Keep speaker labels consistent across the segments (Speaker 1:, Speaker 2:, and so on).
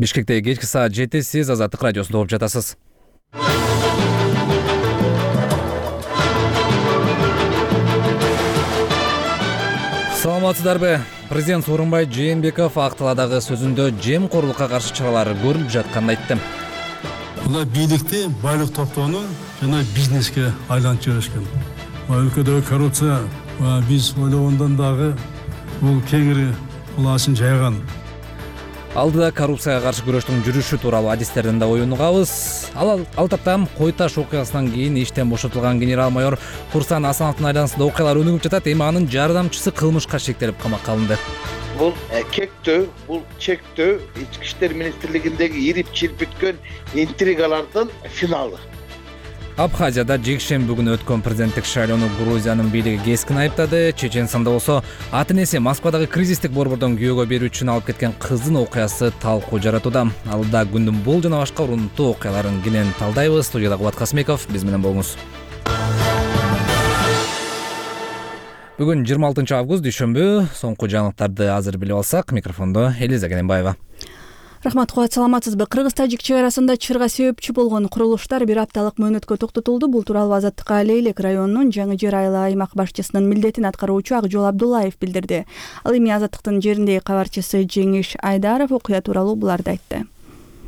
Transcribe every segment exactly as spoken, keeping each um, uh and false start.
Speaker 1: Бишкекте кечки саат жети, сиз Азаттык радиосунда угуп жатасыз. Саламатсыздарбы? Президент Сооронбай Жээнбеков Акталадагы сөзүндө жемкорлукка каршы чаралар көрүлүп жатканын айтты.
Speaker 2: Мына бийликти байлык топтоону жана бизнеске айлантып жиберишкен. Өлкөдөгү коррупция биз ойлогондон дагы бул кеңири улаасын жайган.
Speaker 1: Алдыда коррупцияга каршы күрөштүн жүрүшү тууралуу адистерден да оюн угабыз. Ал ал таптан Кой Таш окуясынан кийин иштен бошотулган генерал-майор Курсан Асановдун айланасында окуялар өнүгүп жатат. Эми анын жардамчысы кылмышка шектелип камакка алынды.
Speaker 3: Бул кектөө, бул чектөө ички иштер министрлигиндеги ирип чирпиткөн интригалардын финалы.
Speaker 1: Абхазияда жекшемби күнү өткөн президенттик шайлоону Грузиянын бийлиги кескин айыптады. Чеченстанда болсо ата-энеси Москвадагы кризистик борбордон күйөөгө берүү үчүн алып кеткен кыздын окуясы талкуу жаратууда. Алда күндүн бул жана башка урунттуу окуяларын кенен талдайбыз. Студияда Кубат Касмеков, биз менен болуңуз. Бүгүн жыйырма алтынчы август дүйшөмбү. Соңку жаңылыктарды азыр билип алсак, микрофондо Элиза Кененбаева.
Speaker 4: Рахмат, Кубат, саламатсызбы? Кыргыз-Тажик чек арасында чырга себепчи болгон курулуштар бир апталык мөөнөткө токтотулду. Бул тууралуу Азаттыкка Лейлек районунун Жаңы Жер айылы аймак башчысынын милдетин аткаруучу Акжол Абдуллаев билдирди. Ал эми Азаттыктын жериндеги кабарчысы Жеңиш Айдаров окуя тууралуу буларды айтты.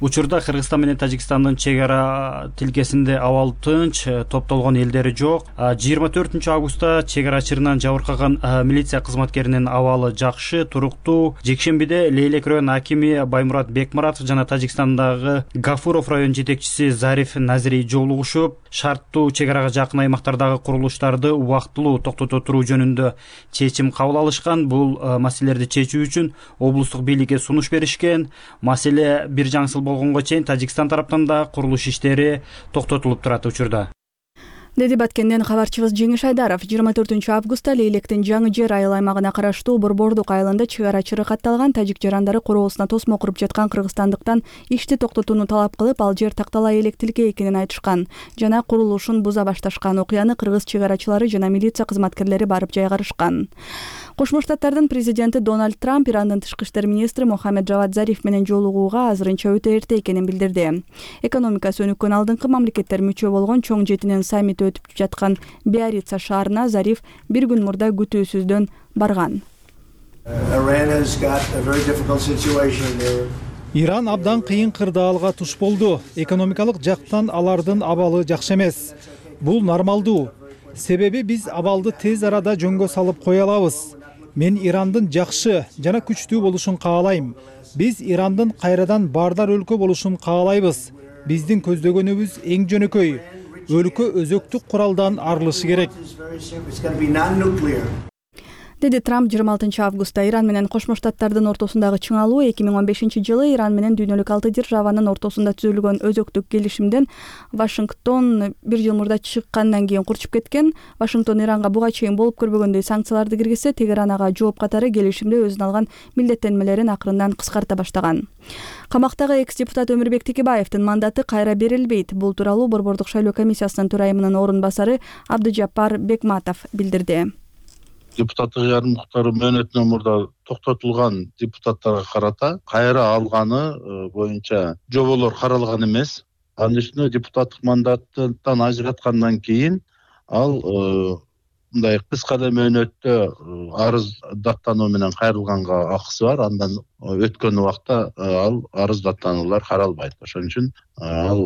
Speaker 5: Учурда Кыргызстан менен Тажикстандын чек ара тилкесинде абал тынч, топтолгон элдери жок. жыйырма төртүнчү августта чек ара чырынан жабыркаган милиция кызматкеринин абалы жакшы, туруктуу. Жекшембиде Лейлек район акими Баймурат Бекмуратов жана Тажикстандагы Гафуров район жетекчиси Зариф Назири жолугушуп, шарттуу чек арага жакын аймактардагы курулуштарды убактылуу токтото туруу жөнүндө чечим кабыл алышкан. Бул маселелерди чечүү үчүн облустук бийликке сунуш беришкен. Маселе бир жаңсыл болгонго чейин Тажикстан тараптан да курулуш иштери токтотулуп турат учурда,
Speaker 4: деди Баткенден кабарчыбыз Жеңиш Айдаров. жыйырма төртүнчү августта Лейлектин Жаңы Жер айыл аймагына караштуу Борбордук айылында чек ара чыры катталган. Тажик жарандары короосуна тосмо куруп жаткан кыргызстандыктан ишти токтотууну талап кылып, ал жер тактала элек тилке экенин айтышкан жана курулушун буза башташкан. Окуяны кыргыз чек арачылары жана милиция кызматкерлери барып жайгарышкан. Кошмо Штаттардын президенти Дональд Трамп Ирандын тышкы иштер министри Мохаммед Жавад Зариф менен жолугууга азырынча өтө эрте экенин билдирди. Экономикасы өнүккөн алдыңкы мамлекеттер мүчө болгон чоң жетинин саммити өтүп жаткан Биарица шаарына Зариф бир күн мурда күтүүсүздөн барган.
Speaker 6: Иран абдан кыйын кырдаалга туш болду. Экономикалык жактан алардын абалы жакшы эмес. Бул нормалдуу. Себеби биз абалды тез арада жөнгө салып кое алабыз. Мен Ирандын жакшы жана күчтүү болушун каалайм. Биз Ирандын кайрадан баардар өлкө болушун каалайбыз. Биздин көздөгөнүбүз эң жөнөкөй. Өлкө өзөктүк куралдан арылышы керек,
Speaker 4: деди Трамп жыйырма алтынчы августта. Иран менен Кошмо Штаттардын ортосундагы чыңалуу эки миң он бешинчи жылы Иран менен дүйнөлүк алты державанын ортосунда түзүлгөн өзөктүк келишимден Вашингтон бир жыл мурда чыккандан кийин курчуп кеткен. Вашингтон Иранга буга чейин болуп көрбөгөндөй санкцияларды киргизсе, Тегеран ага жооп катары келишимде өзүнө алган милдеттенмелерин акырындан кыскарта баштаган. Камактагы экс-депутат Өмүрбек Текебаевдин мандаты кайра берилбейт. Бул тууралуу Борбордук шайлоо комиссиясынын төрайымынын орун басары Абдыжаппар Бекматов билдирди.
Speaker 7: Депутаттык жарымдыктары мөөнөтүнөн мурда токтотулган депутаттарга карата кайра алганы боюнча жоболор каралган эмес. Анын үстүнө депутаттык мандаттан ажыраткандан кийин ал мындай кыска эле мөөнөттө арыз даттануу менен кайрылганга акысы бар. Андан өткөн убакта ал арыз даттануулар каралбайт. Ошон үчүн ал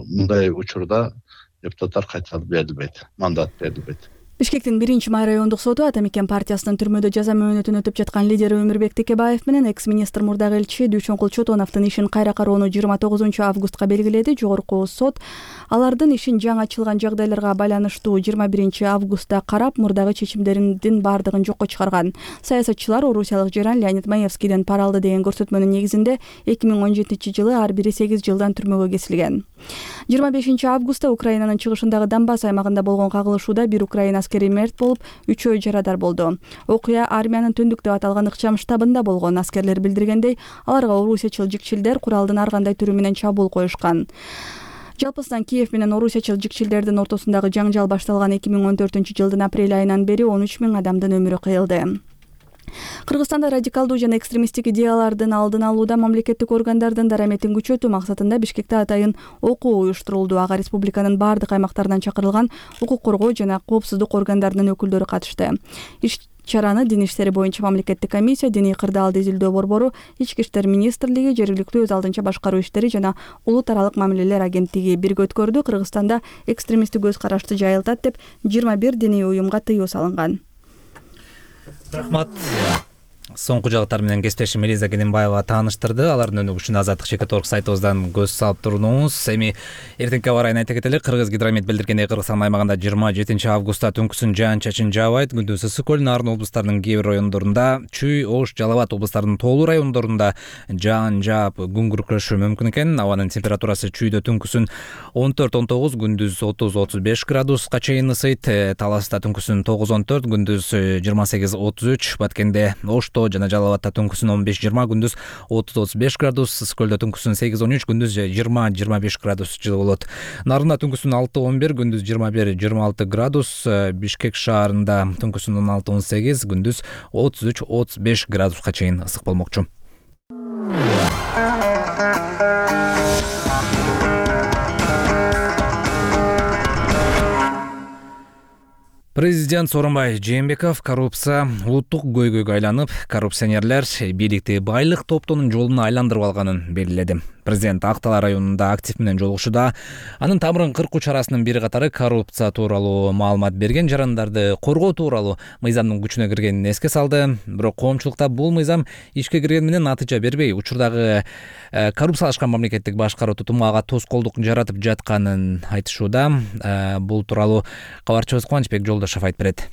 Speaker 7: мындай учурда депутаттар кайтарып берилбейт, мандат берилбейт.
Speaker 4: Бишкектин биринчи май райондук соту Ата Мекен партиясынын түрмөдө жаза мөөнөтүн өтүп жаткан лидери Өмүрбек Текебаев менен экс-министр мурдагы элчи Дүйшөнкул Чотоновдун ишин кайра кароону жыйырма тогузунчу августка белгиледи. Жогорку сот алардын ишин жаңы ачылган жагдайларга байланыштуу жыйырма биринчи августта карап, мурдагы чечимдеринин баардыгын жокко чыгарган. Саясатчылар орусиялык жаран Леонид Маевскийден пара алды деген көрсөтмөнүн негизинде эки миң он жетинчи жылы ар бири сегиз жылдан түрмөгө кесилген. жыйырма бешинчи августта Украинанын чыгышындагы Донбасс аймагында болгон кагылышууда бир украин аскери мерт болуп, үчөө жарадар болду. Окуя армиянын түндүк деп аталган ыкчам штабында болгон. Аскерлер билдиргендей, аларга орусиячыл жикчилдер куралдын ар кандай түрү менен чабуул коюшкан. Жалпысынан Киев менен орусиячыл жикчилдердин ортосундагы жаңжал башталган эки миң он төртүнчү жылдын апрель айынан бери он үч миң адамдын өмүрү кыйылды. Кыргызстанда радикалдуу жана экстремисттик идеялардын алдын алууда мамлекеттик органдардын дараметин күчөтүү максатында Бишкекте атайын окуу уюштурулду. Ага республиканын бардык аймактарынан чакырылган укук коргоо жана коопсуздук органдарынын өкүлдөрү катышты. Иш чараны Дин иштери боюнча мамлекеттик комиссия, диний кырдаалды изилдөө борбору, Ички иштер министрлиги, жергиликтүү өз алдынча башкаруу иштери жана улут аралык мамилелер агенттиги бирге өткөрдү. Кыргызстанда экстремисттик көз карашты жайылтат деп жыйырма бир диний уюмга тыюу салынган.
Speaker 1: Рахмат. Соңку жагыттар менен кесиптешим Элиза Кененбаева тааныштырды. Алардын өнүгүшүнө Азаттык Чекит орг сайтыбыздан көз салып туруңуз. Эми эртеңки аба ырайын айта кетели. Кыргыз гидромет билдиргендей, Кыргызстан аймагында жыйырма жетинчи августта түнкүсүн жаан-чачын жаабайт. Күндүз ысык көл, Нарын облустарынын кээ бир райондорунда, Чүй, Ош, Жалал Абад облустарынын тоолуу райондорунда жаан жаап, күн күркүрөшү мүмкүн экен. Абанын температурасы Чүйдө түнкүсүн он төрт он тогуз, күндүз отуз отуз беш градуска чейин ысыйт. Таласта түнкүсүн тогуз он төрт, күндүз жыйырма сегиз отуз үч. Баткенде, Ошто жана Жалал Абадта түнкүсүн он беш жыйырма, күндүз отуз отуз беш градус, Ысык көлдө түнкүсүн сегиз он үч, күндүз жыйырма жыйырма беш градус жылы болот. Нарында түнкүсүн алты он бир, күндүз жыйырма бир жыйырма алты градус, Бишкек шаарында түнкүсүн он алты он сегиз, күндүз отуз үч отуз беш градуска чейин ысык болмокчу. Президент Сооронбай Жээнбеков коррупция улуттук көйгөйгө айланып, коррупционерлер бийликти байлык топтоонун жолуна айландырып алганын белгиледи. Президент Актала районунда актив менен жолугушууда анын тамырын кыркуу чарасынын бир катары коррупция тууралуу маалымат берген жарандарды коргоо тууралуу мыйзамдын күчүнө киргенин эске салды. Бирок коомчулукта бул мыйзам ишке киргени менен натыйжа бербей, учурдагы коррупциялашкан мамлекеттик башкаруу тутуму ага тоскоолдук жаратып жатканын айтышууда. Бул тууралуу кабарчыбыз Кубанычбек Жолдошов айтып берет.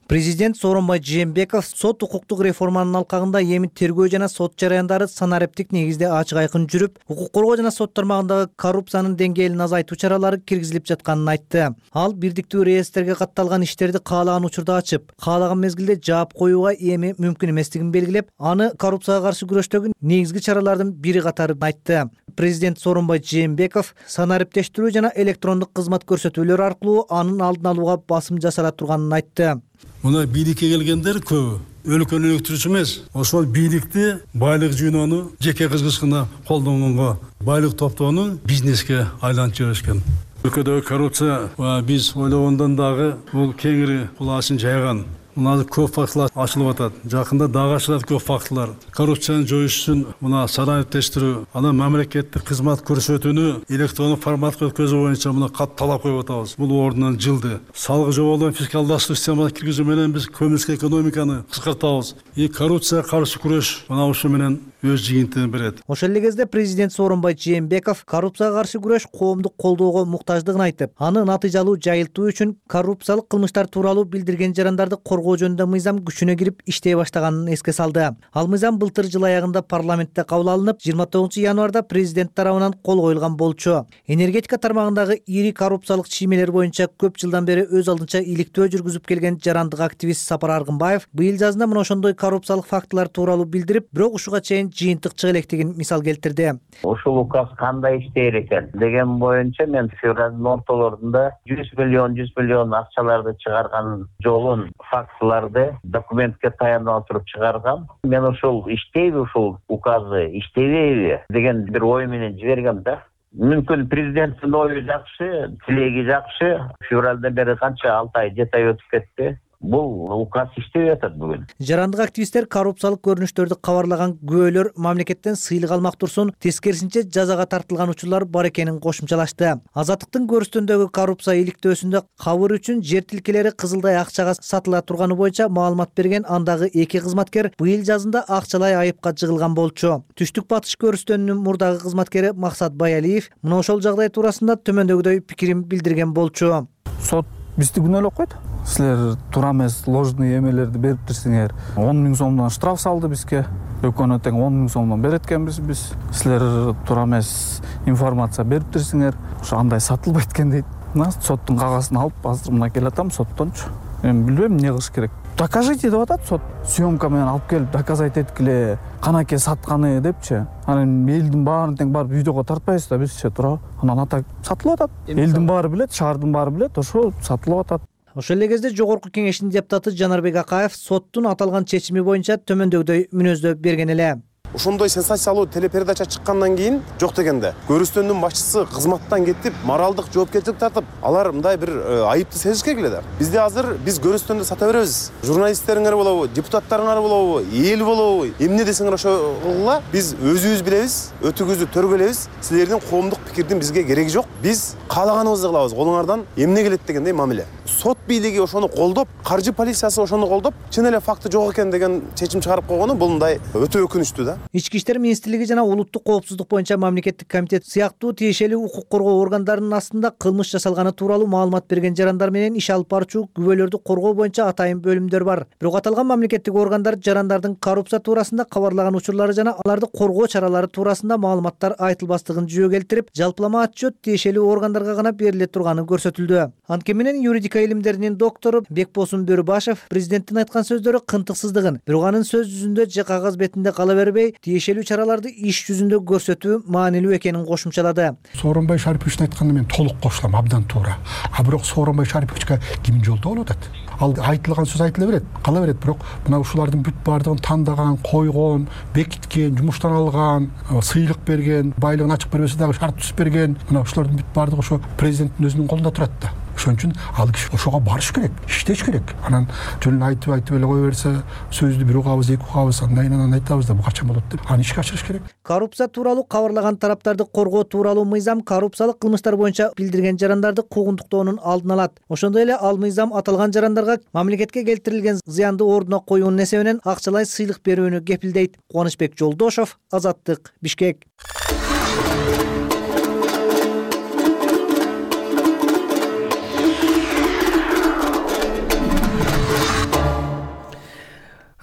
Speaker 8: Президент Сооронбай Жээнбеков сот укуктук реформанын алкагында эми тергөө жана сот жараяндары санариптик негизде ачык айкын жүрүп, укук коргоо жана сот тармагындагы коррупциянын деңгээлин азайтуу чаралары киргизилип жатканын айтты. Ал бирдиктүү реестрге катталган иштерди каалаган учурда ачып, каалаган мезгилде жаап коюуга эми мүмкүн эместигин белгилеп, аны коррупцияга каршы күрөштөгү негизги чаралардын бири катары айтты. Президент Сооронбай Жээнбеков санариптештирүү жана электрондук кызмат көрсөтүүлөр аркылуу анын алдын алууга басым жасала турганын айтты.
Speaker 2: Мына бийликке келгендер көп, өлкөнү өнүктүрүүчү эмес, ошол бийликти байлык жүйнөнү жеке кызгычкына колдонгонго, байлык топтоону бизнеске айлантып жиберишкен. Өлкөдөгү коррупция биз ойлогондон дагы бул кеңири кулаасын жайган. Мына көп фактылар ачылып атат. Жакында дагы ачылат көп фактылар. Коррупцияны жоюш үчүн мына санариптештирүү, анан мамлекеттик кызмат көрсөтүүнү электрондук форматка өткөзүү боюнча мына кат талап коюп атабыз. Бул ордунан жылды. Салык жоболорун фискалдаштыруу системасына киргизүү менен биз көмүрсүк экономиканы кыскартабыз. И коррупцияга каршы күрөш мына ушу менен өз жыйынтыгын берет.
Speaker 8: Ошол эле кезде президент Сооронбай Жээнбеков коррупцияга каршы күрөш коомдук колдоого муктаждыгын айтып, аны натыйжалуу жайылтуу үчүн коррупциялык кылмыштар тууралуу билдирген жарандарды коргоо жөнүндө мыйзам күчүнө кирип иштей баштаганын эске салды. Ал мыйзам былтыр жыл аягында парламентте кабыл алынып, жыйырма тогузунчу январда президент тарабынан кол коюлган болчу. Энергетика тармагындагы ири коррупциялык чиймелер боюнча көп жылдан бери өз алдынча иликтөө жүргүзүп келген жарандык активист Сапар Аргынбаев быйыл жазында мына ошондой коррупциялык фактылар тууралуу билдирип, бирок ушуга чейин жыйынтык чыга электигин мисал келтирди.
Speaker 9: Ушул указ кандай иштейт экен деген боюнча мен февралдын ортолорунда жүз миллион жүз миллион акчаларды чыгарган жолун фактыларды документке таянып туруп чыгаргам. Мен ушул иштейби, ушул указы иштебейби деген бир ой менен жибергем да. Мүмкүн президенттин ою жакшы, тилеги жакшы. Февралдан бери канча алты ай жети ай өтүп кетти. Бул указ иштеп атат бүгүн.
Speaker 8: Жарандык активисттер коррупциялык көрүнүштөрдү кабарлаган күбөлөр мамлекеттен сыйлык алмак турсун, тескерисинче жазага тартылган учурлар бар экенин кошумчалашты. Азаттыктын көрүстүндөгү коррупция иликтөөсүндө кабыр үчүн жер тилкелери кызылдай акчага сатыла турганы боюнча маалымат берген андагы эки кызматкер быйыл жазында акчалай айыпка жыгылган болчу. Түштүк батыш көрүстөнүнүн мурдагы кызматкери Максат Баялиев мына ошол жагдай туурасында төмөндөгүдөй пикирин билдирген болчу.
Speaker 10: Сот бизди күнөөлөп койду. Силер туура эмес ложный эмелерди бериптирсиңер. он миң сомдон штраф салды бизге. Өкөнө тең он миң сомдон берет экенбиз биз. Силер туура эмес информация бериптирсиңер. Ошо андай сатылбайт экен дейт. Мына соттун кагасын алып, азыр мына келатам соттончу. Эми билбейм эмне кылыш керек. Докажите деп атат сот. Съемка менен алып келип доказать эткиле, канаке сатканы депчи. Анан элдин баарын тең барып видеого тартпайбыз да бизче туурабы. Анан ата сатылып атат. Элдин баары билет, шаардын баары билет, ошо сатылып атат.
Speaker 8: Ошол эле кезде жогорку кеңештин депутаты Жанарбек Акаев соттун аталган чечими боюнча төмөндөгүдөй мүнөздөө берген эле.
Speaker 11: Ошондой сенсациялуу телепередача чыккандан кийин жок дегенде Көрүстөндүн башчысы кызматтан кетип, моралдык жоопкерчилик тартып, алар мындай бир айыпты сезиш керек эле да. Бизде азыр биз Көрүстөндү сата беребиз. Журналисттериңер болобу, депутаттарыңар болобу, эл болобу, эмне десеңер ошола биз өзүбүз билебиз, өтүгүздү төргөлөбүз. Силердин коомдук пикирдин бизге кереги жок. Биз каалаганыбызды кылабыз. Колуңардан эмне келет дегендей мамиле. Сот бийлиги ошону колдоп, каржы полициясы ошону колдоп, чын эле факты жок экен деген чечим чыгарып койгону бул мындай өтө өкүнүчтүү да.
Speaker 8: Ички иштер министрлиги жана улуттук коопсуздук боюнча мамлекеттик комитет сыяктуу тиешелүү укук коргоо органдарынын астында кылмыш жасалганы тууралуу маалымат берген жарандар менен иш алып барчу күбөлөрдү коргоо боюнча атайын бөлүмдөр бар. Бирок аталган мамлекеттик органдар жарандардын коррупция туурасында кабарлаган учурлары жана аларды коргоо чаралары туурасында маалыматтар айтылбастыгын жүйө келтирип, жалпылама отчет тиешелүү органдарга гана бериле турганы көрсөтүлдү. Анткени менен юридика илимдеринин доктору Бекбосун Бөрүбашев президенттин айткан сөздөрү кынтыксыздыгын, бирок анын сөз жүзүндө же кагаз бетинде кала бербей, тиешелүү чараларды иш жүзүндө көрсөтүү маанилүү экенин кошумчалады.
Speaker 12: Сооронбай Шариповичтин айтканына мен толук кошулам, абдан туура. А бирок Сооронбай Шариповичке ким жолдоо болуп атат? Ал айтылган сөз айтыла берет, кала берет, бирок мына ушулардын бүт баардыгын тандаган, койгон, бекиткен, жумуштан алган, сыйлык берген, байлыгын ачык бербесе дагы шарт түзүп берген, мына ушулардын бүт баардыгы ошо президенттин өзүнүн колунда турат да. Ошон үчүн ал киши ошого барыш керек, иштеш керек. Анан жөн айтып айтып эле кое берсе, сөздү бир угабыз, эки угабыз, андан кийин айтабыз да бул качан болот деп. Аны ишке ашырыш керек.
Speaker 8: Коррупция тууралуу кабарлаган тараптарды коргоо тууралуу мыйзам коррупциялык кылмыштар боюнча билдирген жарандарды куугунтуктоонун алдын алат. Ошондой эле ал мыйзам аталган жарандарга мамлекетке келтирилген зыянды ордуна коюунун эсебинен акчалай сыйлык берүүнү кепилдейт. Кубанычбек Жолдошов, Азаттык, Бишкек.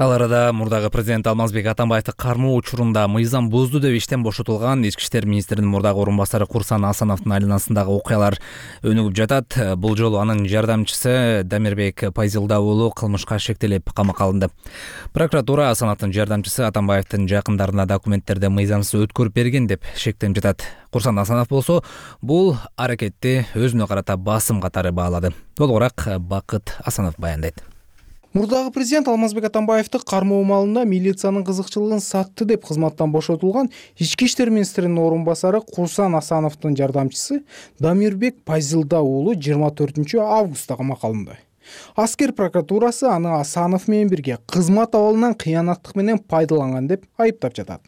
Speaker 1: Ал арада мурдагы президент Алмазбек Атамбаевди кармоо учурунда мыйзам бузду деп иштен бошотулган ички иштер министринин мурдагы орун басары Курсан Асановдун айланасындагы окуялар өнүгүп жатат. Бул жолу анын жардамчысы Дамирбек Пайзилда уулу кылмышка шектелип камакка алынды. Прокуратура Асановдун жардамчысы Атамбаевдин жакындарына документтерди мыйзамсыз өткөрүп берген деп шектенип жатат. Курсан Асанов болсо бул аракетти өзүнө карата басым катары баалады. Толугураак Бакыт Асанов баяндайт.
Speaker 6: Мурдагы президент Алмазбек Атамбаевди кармоо маалында милициянын кызыкчылыгын сатты деп кызматтан бошотулган ички иштер министринин орун басары Курсан Асановдун жардамчысы Дамирбек Пайзилда уулу жыйырма төртүнчү августта камакка алынды. Аскер прокуратурасы аны Асанов менен бирге кызмат абалынан кыянаттык менен пайдаланган деп айыптап жатат.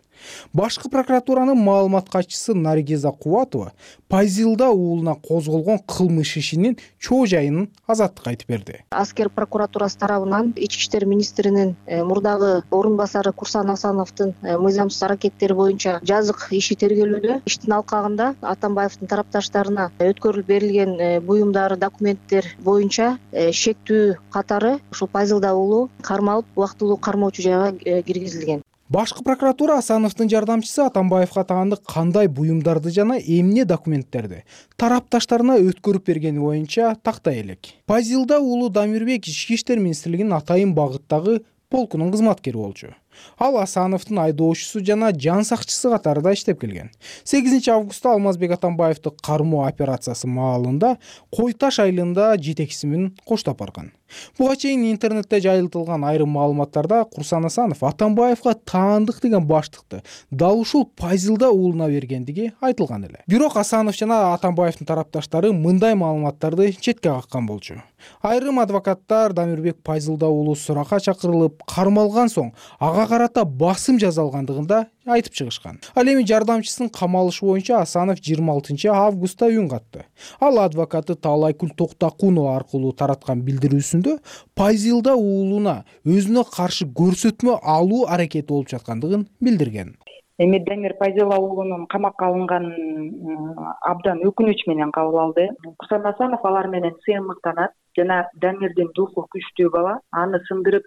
Speaker 6: Башкы прокуратуранын маалымат катчысы Наргиза Кубатова Пайзилда уулуна козголгон кылмыш ишинин чоо жайын Азаттыкка айтып берди.
Speaker 13: Аскер прокуратурасы тарабынан ички иштер министринин мурдагы орун басары Курсан Асановдун мыйзамсыз аракеттери боюнча жазык иши тергелүүдө. Иштин алкагында Атамбаевдин тарапташтарына өткөрүлүп берилген буюмдар, документтер боюнча шектүү катары ушул Пайзилда уулу кармалып, убактылуу кармоочу жайга киргизилген.
Speaker 6: Башкы прокуратура Асановдун жардамчысы Атамбаевга тагынды кандай буюмдарды жана эмне документтерди тарапташтарына өткөрүп бергени боюнча тактай элек. Пайзилда уулу Дамирбек ички иштер министрлигинин атайын багыттагы полкунун кызматкери болчу. Ал Асановдун айдоочусу жана жан сакчысы катарында иштеп келген. сегизинчи августта Алмазбек Атамбаевди кармоо операциясы маалында Кой Таш айылында жетекчиси менен коштоп барган. Буга чейин интернетте жайылтылган айрым маалыматтарда Курсан Асанов Атамбаевга таандык деген баштыкты дал ушул Пайзилда уулуна бергендиги айтылган эле. Бирок Асанов жана Атамбаевдин тарапташтары мындай маалыматтарды четке каккан болчу. Айрым адвокаттар Дамирбек Пайзилда уулу суракка чакырылып, кармалган соң ага карата басым жасалгандыгында айтып чыгышкан. Ал эми жардамчысын камалышы боюнча Асанов жыйырма алтынчы августта үн катты. Ал адвокаты Таалайкүл Токтакунова аркылуу тараткан билдирүүсүндө Пайзилда уулуна өзүнө каршы көрсөтмө алуу аракети болуп жаткандыгын билдирген.
Speaker 14: Эми Дамир Пайзилда уулунун камакка алынганын абдан өкүнүч менен кабыл алды. Курсан Асанов алар менен сыйынмыктанат жана Дамирдин духу күчтүү бала, аны сындырып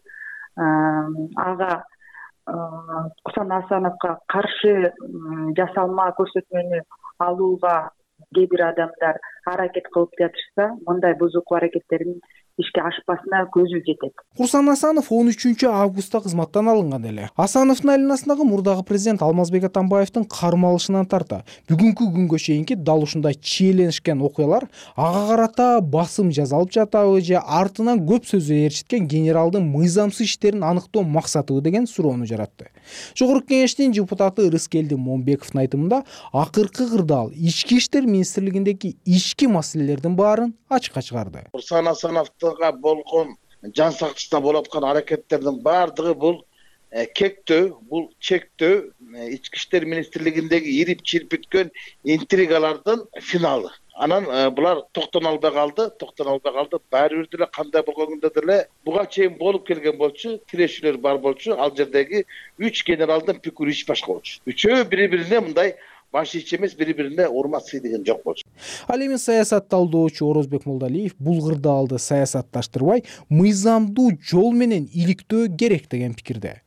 Speaker 14: ага Курсан Асановго каршы жасалма көрсөтмөнү алууга кээ бир адамдар аракет кылып жатышса, мындай бузуку аракеттерин ишке ашпасына көзү жетет.
Speaker 6: Курсан Асанов он үчүнчү августта кызматтан алынган эле. Асановдун айланасындагы мурдагы президент Алмазбек Атамбаевдин кармалышынан тарта бүгүнкү күнгө чейинки дал ушундай чиеленишкен окуялар ага карата басым жасалып жатабы же артынан көп сөзү ээрчиткен генералдын мыйзамсыз иштерин аныктоо максатыбы деген суроону жаратты. Жогорку кеңештин депутаты Рыскелди Момбековдун айтымында акыркы кырдаал ички иштер министрлигиндеги ички маселелердин баарын ачыкка чыгарды.
Speaker 3: Курсан Асановго болгон жан сактышына болуп аткан аракеттердин баардыгы бул кектөө, бул чектөө, ички иштер министрлигиндеги ирип чирпиткөн интригалардын финалы. Анан булар токтоно албай калды, токтоно албай калды. Баары бир деле кандай болгондо деле буга чейин болуп келген болчу, тирешүүлөр бар болчу. Ал жердеги үч генералдын пикири ич башка болчу. Үчөө бири-бирине мындай баш ич эмес, бири-бирине урмат сыйдыгын жок болчу.
Speaker 6: Ал эми саясат талдоочу Орозбек Молдалиев бул кырдаалды саясатташтырбай, мыйзамдуу жол менен иликтөө керек деген пикирде.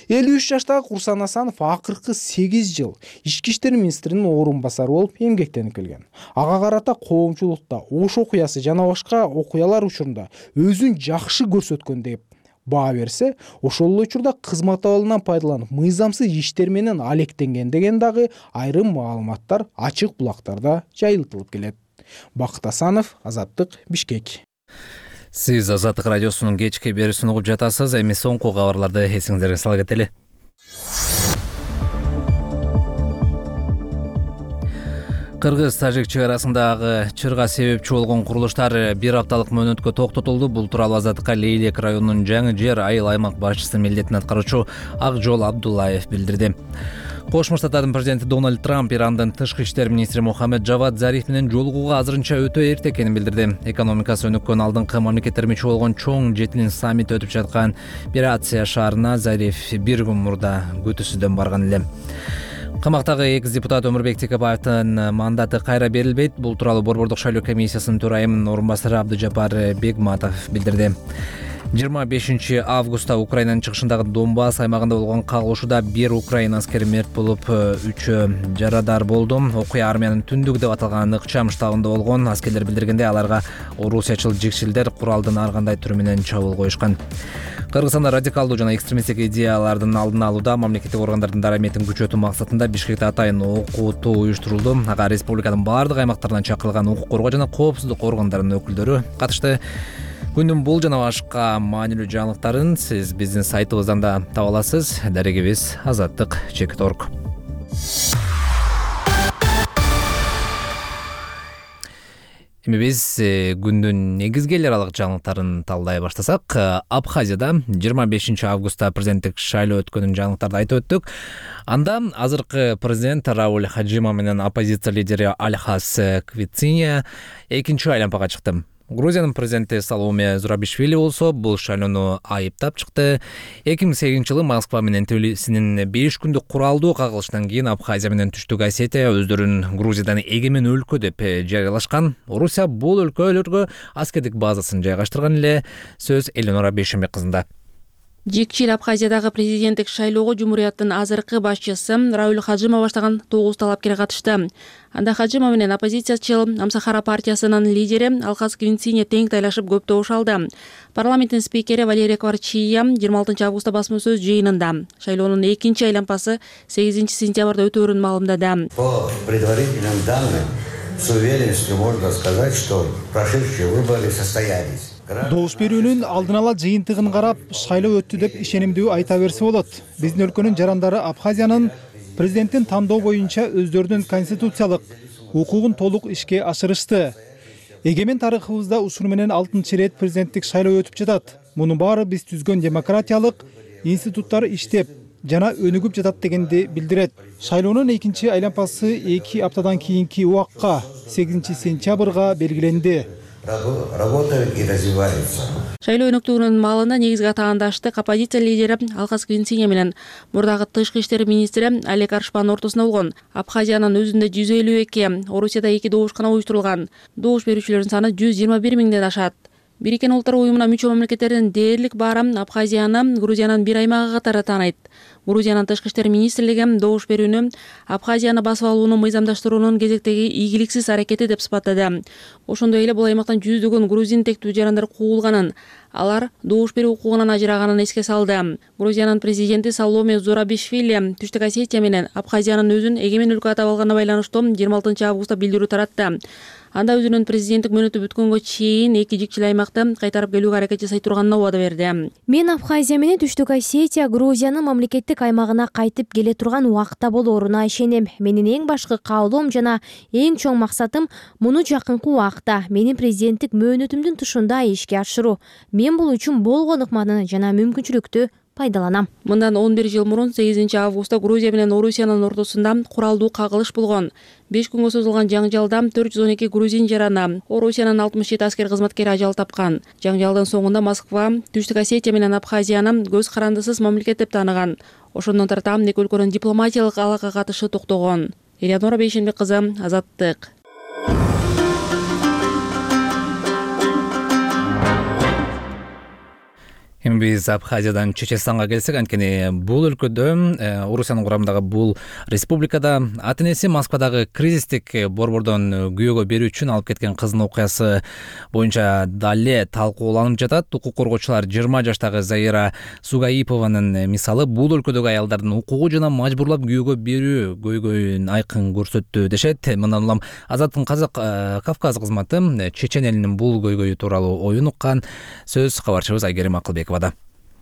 Speaker 6: элүү үч жаштагы Курсан Асанов акыркы сегиз жыл ички иштер министринин орун басары болуп эмгектенип келген. Ага карата коомчулукта Ош окуясы жана башка окуялар учурунда өзүн жакшы көрсөткөн деп баа берсе, ошол эле учурда кызмат абалынан пайдаланып мыйзамсыз иштер менен алектенген деген дагы айрым маалыматтар ачык булактарда жайылтылып келет. Бакыт Асанов, Азаттык, Бишкек.
Speaker 1: Сиз Азаттык радиосунун кечки берүүсүн угуп жатасыз. Эми соңку кабарларды эсиңиздерге сала кетели. Кыргыз-Тажик чек арасындагы чырга себепчи болгон курулуштар бир апталык мөөнөткө токтотулду. Бул тууралуу Азаттыкка Лейлек районунун жаңы жер айыл аймак башчысы милдетин аткаруучу Акжол Абдуллаев билдирди. Кошмо Штаттардын президенти Дональд Трамп Ирандын тышкы иштер министри Мухаммед Джавад Зариф менен жолугууга азырынча өтө эрте экенин билдирди. Экономикасы өнүккөн алдыңкы мамлекеттер мүчө болгон чоң жетинин саммити өтүп жаткан Бирация шаарына Зариф бир күн мурда күтүүсүздөн барган эле. Камактагы экс депутат Өмүрбек Текебаевдин мандаты кайра берилбейт. Бул тууралуу Борбордук шайлоо комиссиясынын төрайымынын орун басары Абдыжапар Бегматов билдирди. жыйырма бешинчи августта Украинанын чыгышындагы Донбасс аймагында болгон кагылышууда бир украин аскери мерт болуп, үчөө жарадар болду. Окуя армиянын түндүгү деп аталган Ыкчам штабында болгон. Аскерлер билдиргенде, аларга орусиячыл жикшилдер куралдын ар кандай түрү менен чабуул коюшкан. Кыргызстанда радикалдуу жана экстремисттик идеялардын алдын алууда мамлекеттик органдардын дараметин күчөтүү максатында Бишкекте атайын окутуу уюштурулду. Ага республиканын баардык аймактарынан чакырылган укук коргоо жана коопсуздук органдарынын өкүлдөрү катышты. Күндүн бул жана башка маанилүү жаңылыктарын сиз биздин сайтыбыздан да таба аласыз. Дарегибиз азаттык чекит точка орг. Эми биз күндүн негизги эл аралык жаңылыктарын талдай баштасак, Абхазияда жыйырма бешинчи августта президенттик шайлоо өткөнүн жаңылыктарды айтып өттүк. Анда азыркы президент Рауль Хаджима менен оппозиция лидери Альхас Квициня экинчи айлампага чыкты. Грузиянын президенти Саломе Зурабишвили болсо бул шайлоону айыптап чыкты. эки миң сегизинчи жылы Москва менен Тбилисинин беш күндүк куралдуу кагылышынан кийин Абхазия менен Түштүк Осетия өздөрүн Грузиядан эгемен өлкө деп жарыялашкан. Орусия бул өлкөлөргө аскердик базасын жайгаштырган эле. Сөз Эленора Бейшембек кызында.
Speaker 15: Жекчил Абхазиядагы президенттик шайлоого Жумурияттын азыркы башчысы Рауль Хаджима баштаган тогуз талапкер катышты. Анда Хаджима менен оппозициячыл Амсахара партиясынын лидери Алхас Квинциня тең тайлашып көп добуш алды. Парламенттин спикери Валерия Кварчия жыйырма алтынчы августта басма сөз жыйынында шайлоонун экинчи айлампасы сегизинчи сентябрда өтөөрүн маалымдады.
Speaker 16: По предварительным данным, с уверенностью можно сказать, что прошедшие выборы состоялись.
Speaker 6: Добуш берүүнүн алдын ала жыйынтыгын карап, шайлоо өттү деп ишенимдүү айта берсе болот. Биздин өлкөнүн жарандары Абхазиянын президенттин тандоо боюнча өздөрүнүн конституциялык укугун толук ишке ашырышты. Эгемен тарыхыбызда ушуну менен алтынчы ирет президенттик шайлоо өтүп жатат. Мунун баары биз түзгөн демократиялык институттар иштеп жана өнүгүп жатат дегенди билдирет. Шайлоонун экинчи айлампасы эки аптадан кийинки убакка сегизинчи сентябрга белгиленди.
Speaker 16: Работают и развиваются.
Speaker 15: Шайлоо өнүктүүнүн маалында негизги атаандаштык оппозиция лидери Алхас Квинциня менен мурдагы тышкы иштер министри Олег Аршпанын ортосунда болгон. Абхазиянын өзүндө жүз элүү эки, Орусияда эки добушкана уюштурулган. Добуш берүүчүлөрдүн саны жүз жыйырма бир миңден ашат. Бириккен Улуттар уюмуна мүчө мамлекеттердин дээрлик баары Абхазияны Грузиянын бир аймагы катары тааныйт. Грузиянын тышкы иштер министрлиги добуш берүүнү Абхазияны басып алууну мыйзамдаштыруунун кезектеги ийгиликсиз аракети деп сыпаттады. Ошондой эле бул аймактан жүздөгөн грузин тектүү жарандар куугулганын, алар добуш берүү укугунан ажыраганын эске салды. Грузиянын президенти Саломе Зурабишвили Түштүк Осетия менен Абхазиянын өзүн эгемен өлкө атап алганына байланыштуу жыйырма алтынчы августта билдирүү таратты. Анда өзүнүн президенттик мөөнөтү бүткөнгө чейин эки жикчил аймакты кайтарып келүүгө аракет жасай турганына убада берди.
Speaker 17: Мен Абхазия менен Түштүк Осетия Грузиянын мамлекеттик аймагына кайтып келе турган убакытта болоруна ишенем. Менин эң башкы каалоом жана эң чоң максатым муну жакынкы убакытта менин президенттик мөөнөтүмдүн тушунда ишке ашыруу. Мен бул үчүн болгон ыкманы жана мүмкүнчүлүктү пайдаланам.
Speaker 15: Мындан он бир жыл мурун сегизинчи августта Грузия менен Орусиянын ортосунда куралдуу кагылыш болгон. беш күнгө созулган жаңжалда төрт жүз он эки грузин жараны, Орусиянын алтымыш жети аскер кызматкери ажал тапкан. Жаңжалдын соңунда Москва Түштүк Осетия менен Абхазияны көз карандысыз мамлекет деп тааныган. Ошондон тарта эки өлкөнүн дипломатиялык алака катышы токтогон. Элеонора Бейшенбек кызы, Азаттык.
Speaker 1: Эми биз Абхазиядан Чеченстанга келсек, анткени бул өлкөдө, Орусиянын курамындагы бул республикада ата энеси Москвадагы кризистик борбордон күйөөгө берүү үчүн алып кеткен кызынын окуясы боюнча дале талкууланып жатат. Укук коргоочулар жыйырма жаштагы Заира Сугаипованын мисалы бул өлкөдөгү аялдардын укугу жана мажбурлап күйөөгө берүү көйгөйүн айкын көрсөттү дешет. Мындан улам Азаттын Казак Кавказ кызматы Чечен элинин бул көйгөйү тууралуу оюн уккан. Сөз кабарчыбыз Айгерим Акылбекова.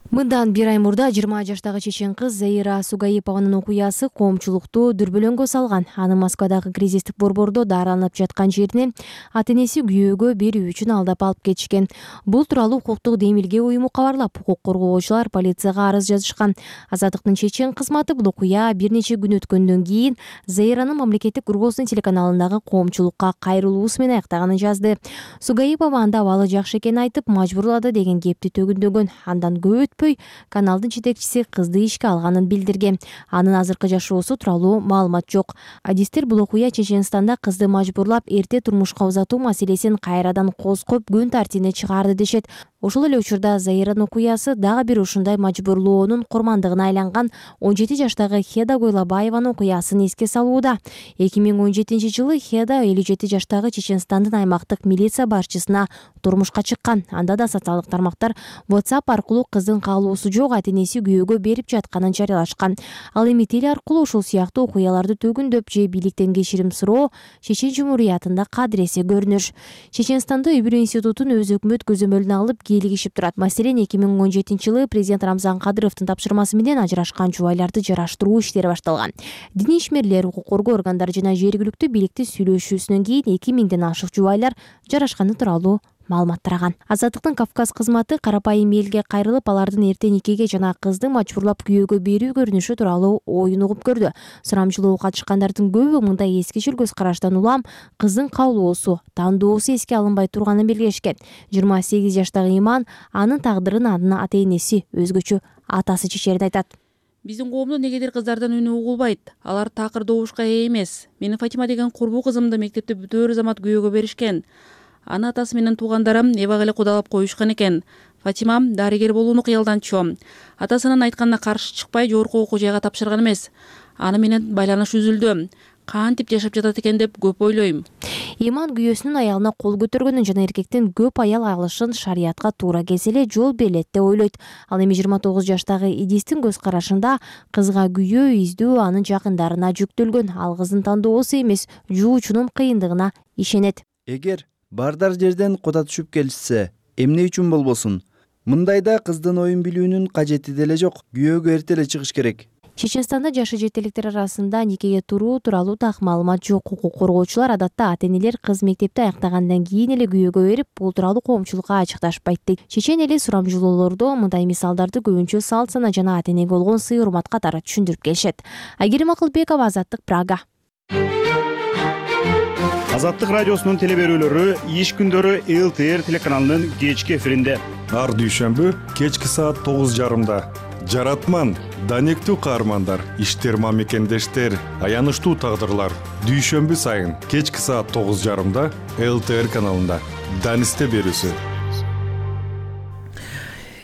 Speaker 17: Мындан бир ай мурда жыйырма жаштагы чечен кыз Заира Сугаипованын окуясы коомчулукту дүрбөлөңгө салган. Аны Москвадагы кризистик борбордо дараланып жаткан жерине ата энеси күйөөгө берүү үчүн алдап алып кетишкен. Бул тууралуу укуктук демилге уюму кабарлап, укук коргоочулар полицияга арыз жазышкан. Азаттыктын чечен кызматы бул окуя бир нече күн өткөндөн кийин Заиранын мамлекеттик Кыргызстан телеканалындагы коомчулукка кайрылуусу менен аяктаганын жазды. Сугаипова анда абалы жакшы экенин айтып, мажбурлады деген кепти төгүндөгөн. Андан көп өтпөй каналдын жетекчиси кызды ишке алганын билдирген. Анын азыркы жашоосу тууралуу маалымат жок. Адистер бул окуя Чеченстанда кызды мажбурлап эрте турмушка узатуу маселесин кайрадан козгоп күн тартибине чыгарды дешет. Ошол эле учурда Заиранын окуясы дагы бир ушундай мажбурлоонун курмандыгына айланган он жети жаштагы Хеда Гойлабаеванын окуясын эске салууда. эки миң он жетинчи жылы Хеда элүү жети жаштагы Чеченстандын аймактык милиция башчысына турмушка чыккан. Анда да социалдык тармактар WhatsApp аркылуу кыздын каалоосу жок ата энеси күйөөгө берип жатканын жарыялашкан. Ал эми теле аркылуу ушул сыяктуу окуяларды төгүндөп же бийликтен кечирим суроо Чечен Жумуриятында кадыресе көрүнүш. Чеченстанда үй бүлө институтун өз өкмөт көзөмөлүнө алып кийлигишип турат. Маселен, эки миң он жетинчи жылы президент Рамзан Кадыровдун тапшырмасы менен ажырашкан жубайларды жараштыруу иштери башталган. Диний ишмерлер, укук коргоо органдары жана жергиликтүү бийликти сүйлөшүүсүнөн кийин эки миңден ашык жубайлар жарашканы тууралуу маалымат тараган. Азаттыктын Кавказ кызматы карапайым элге кайрылып, алардын эрте никеге жана кызды мажбурлап күйөөгө берүү көрүнүшү тууралуу оюн угуп көрдү. Сурамжылоого катышкандардын көбү мындай эскичил көз караштан улам кыздын каалоосу, тандоосу эске алынбай турганын белгилешкен. жыйырма сегиз жаштагы Иман анын тагдырын анын ата энеси, өзгөчө атасы чечерин айтат.
Speaker 15: Биздин коомдо негедир кыздардан үнү угулбайт. Алар такыр добушка ээ эмес. Мени Фатима деген курбу кызымды мектепте бүтөөр замат күйөөгө беришкен. Аны атасы менен туугандарым эбак эле кудалап коюшкан экен. Фатима дарыгер болууну кыялданчу. Атасынын айтканына каршы чыкпай жогорку окуу жайга тапшырган эмес. Аны менен байланыш үзүлдү. Кантип жашап жатат экен деп көп ойлойм.
Speaker 17: Иман күйөөсүнүн аялына кол көтөргөнүн жана эркектин көп аял алышын шариятка туура келсе эле жол берилет деп ойлойт. Ал эми жыйырма тогуз жаштагы Идистин көз карашында кызга күйөө издөө анын жакындарына жүктөлгөн. Ал кыздын тандоосу эмес, жуучунун кыйындыгына ишенет.
Speaker 18: Эгер бардар жерден куда түшүп келишсе, эмне үчүн болбосун? Мындайда кыздын оюн билүүнүн кажети деле жок. Күйөөгө эрте эле чыгыш керек.
Speaker 17: Чеченстанда жашы жете электер арасында никеге туруу тууралуу так маалымат жок. Укук коргоочулар адатта ата энелер кыз мектепти аяктагандан кийин эле күйөөгө берип, бул тууралуу коомчулукка ачыкташпайт дейт. Чечен эли сурамжылоолордо мындай мисалдарды көбүнчө салт сана жана ата энеге болгон сый урмат катары түшүндүрүп келишет. Айгерим Акылбекова, Азаттык, Прага.
Speaker 19: Азаттык радиосунун теле берүүлөрү иш күндөрү эл тэ эр телеканалынын кечки эфиринде.
Speaker 20: Ар дүйшөмбү кечки саат тогуз жарымда. Жаратман, данектүү каармандар, иштер мамекендештер, аянычтуу тагдырлар. Дүйшөмбү сайын кечки саат тогуз жарымда эл тэ эр каналында. Данисте берүүсү.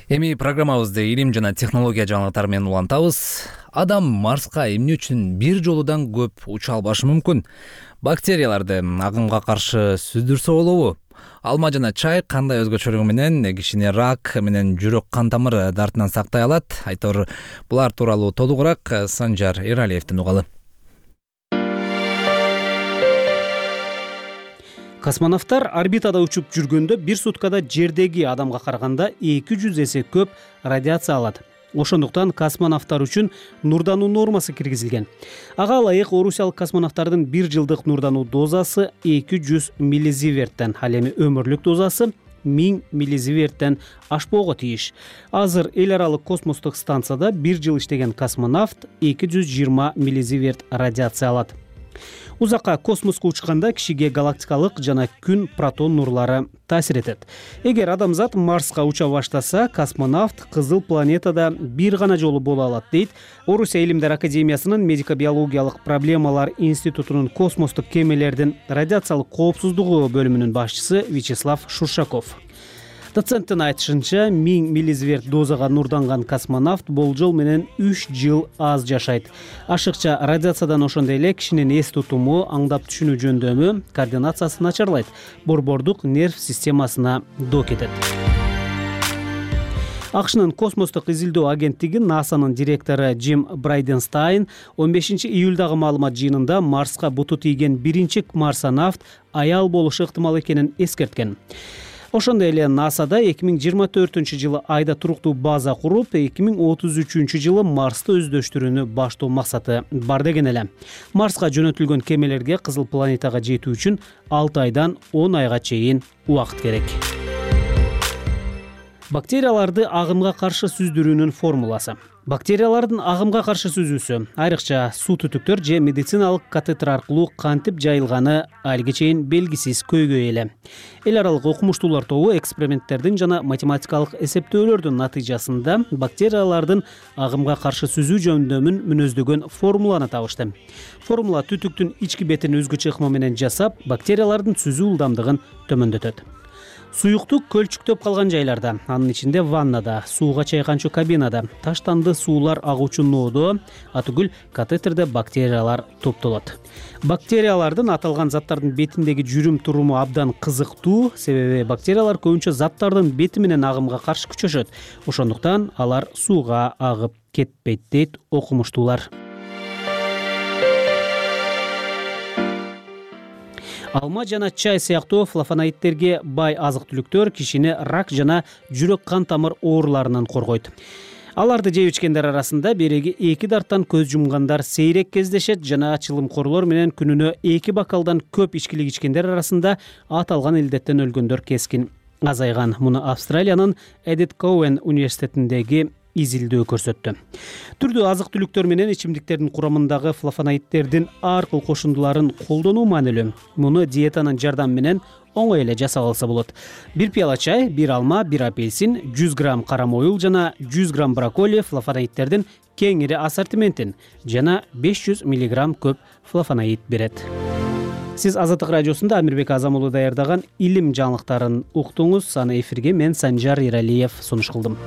Speaker 1: Эми программабызды илим жана технология жаңылыктары менен улантабыз. адам Марска эмне үчүн бир жолудан көп уча албашы мүмкүн? Бактерияларды агымга каршы сүздүрсө болобу? Алма жана чай кандай өзгөчөлүгү менен кишини рак менен жүрөк кан тамыр дартынан сактай алат? Айтор булар тууралуу толугураак Санжар Эралиевден угалы.
Speaker 21: Космонавттар орбитада учуп жүргөндө бир суткада жердеги адамга караганда эки жүз эсе көп радиация алат. Ошондуктан космонавттар үчүн нурдануу нормасы киргизилген. Ага ылайык орусиялык космонавттардын бир жылдык нурдануу дозасы эки жүз миллизиверттен, ал эми өмүрлүк дозасы миң миллизиверттен ашпоого тийиш. Азыр эл аралык космостук станцияда бир жыл иштеген космонавт эки жүз жыйырма миллизиверт радиация алат. Узакка космоско учканда кишиге галактикалык жана күн протон нурлары таасир этет. Эгер адамзат Марска уча баштаса, космонавт кызыл планетада бир гана жолу боло алат, дейт Орусия Илимдер академиясынын медико-биологиялык проблемалар институтунун космостук кемелердин радиациялык коопсуздугу бөлүмүнүн башчысы Вячеслав Шуршаков. Доценттин айтышынча, миң миллизиверт дозага нурданган космонавт болжол менен үч жыл аз жашайт. Ашыкча радиациядан ошондой эле кишинин эс тутуму, аңдап түшүнүү жөндөмү, координациясы начарлайт, борбордук нерв системасына доо кетет. АКШнын космостук изилдөө агенттиги НАСАнын директору Джим Брайденстайн он бешинчи июлдагы маалымат жыйынында Марска буту тийген биринчи марсонавт аял болушу ыктымал экенин эскерткен. Ошондой эле НАСАда эки миң жыйырма төртүнчү жылы айда туруктуу база куруп, эки миң отуз үчүнчү жылы Марсты өздөштүрүүнү баштоо максаты бар деген эле. Марска жөнөтүлгөн кемелерге кызыл планетага жетүү үчүн алты айдан он айга чейин убакыт керек. Бактерияларды агымга каршы сүздүрүүнүн формуласы. Бактериялардын агымга каршы сүзүүсү, айрыкча суу түтүктөр же медициналык катетер аркылуу кантип жайылганы алиге чейин белгисиз көйгөй эле. Эл аралык окумуштуулар тобу эксперименттердин жана математикалык эсептөөлөрдүн натыйжасында бактериялардын агымга каршы сүзүү жөндөмүн мүнөздөгөн формуланы табышты. Формула түтүктүн ички бетин өзгөчө ыкма менен жасап, бактериялардын сүзүү ылдамдыгын төмөндөтөт. Суюктук көлчүктөп калган жайларда, анын ичинде ваннада, сууга чайканчу кабинада, таштанды суулар агуучу ноодо, атүгүл катетерде бактериялар топтолот. Бактериялардын аталган заттардын бетиндеги жүрүм туруму абдан кызыктуу, себеби бактериялар көбүнчө заттардын бети менен агымга каршы күчөшөт. Ошондуктан алар сууга агып кетпейт, дейт окумуштуулар. Алма жана чай сыяктуу флавоноидтерге бай азык-түлүктөр кишини рак жана жүрөк кан тамыр ооруларынан коргойт. Аларды жеп ичкендер арасында береги эки дарттан көз жумгандар сейрек кездешет жана чылымкорлор менен күнүнө эки бокалдан көп ичкилик ичкендер арасында аталган илдеттен өлгөндөр кескин азайган. Муну Австралиянын Эдит Коуэн университетиндеги изилдөө көрсөттү. Түрдүү азык-түлүктөр менен ичимдиктердин курамындагы флавоноидтердин ар кыл кошундуларын колдонуу маанилүү. Муну диетанын жардамы менен оңой эле жасап алса болот. Бир пияла чай, бир алма, бир апельсин, жүз грамм кара моюл жана жүз грамм брокколи флавоноидтердин кеңири ассортиментин жана беш жүз миллиграмм көп флавоноид берет. Сиз Азаттык радиосунда Амирбек Азам уулу даярдаган илим жаңылыктарын уктуңуз. Аны эфирге мен Санжар Эралиев сунуш кылдым.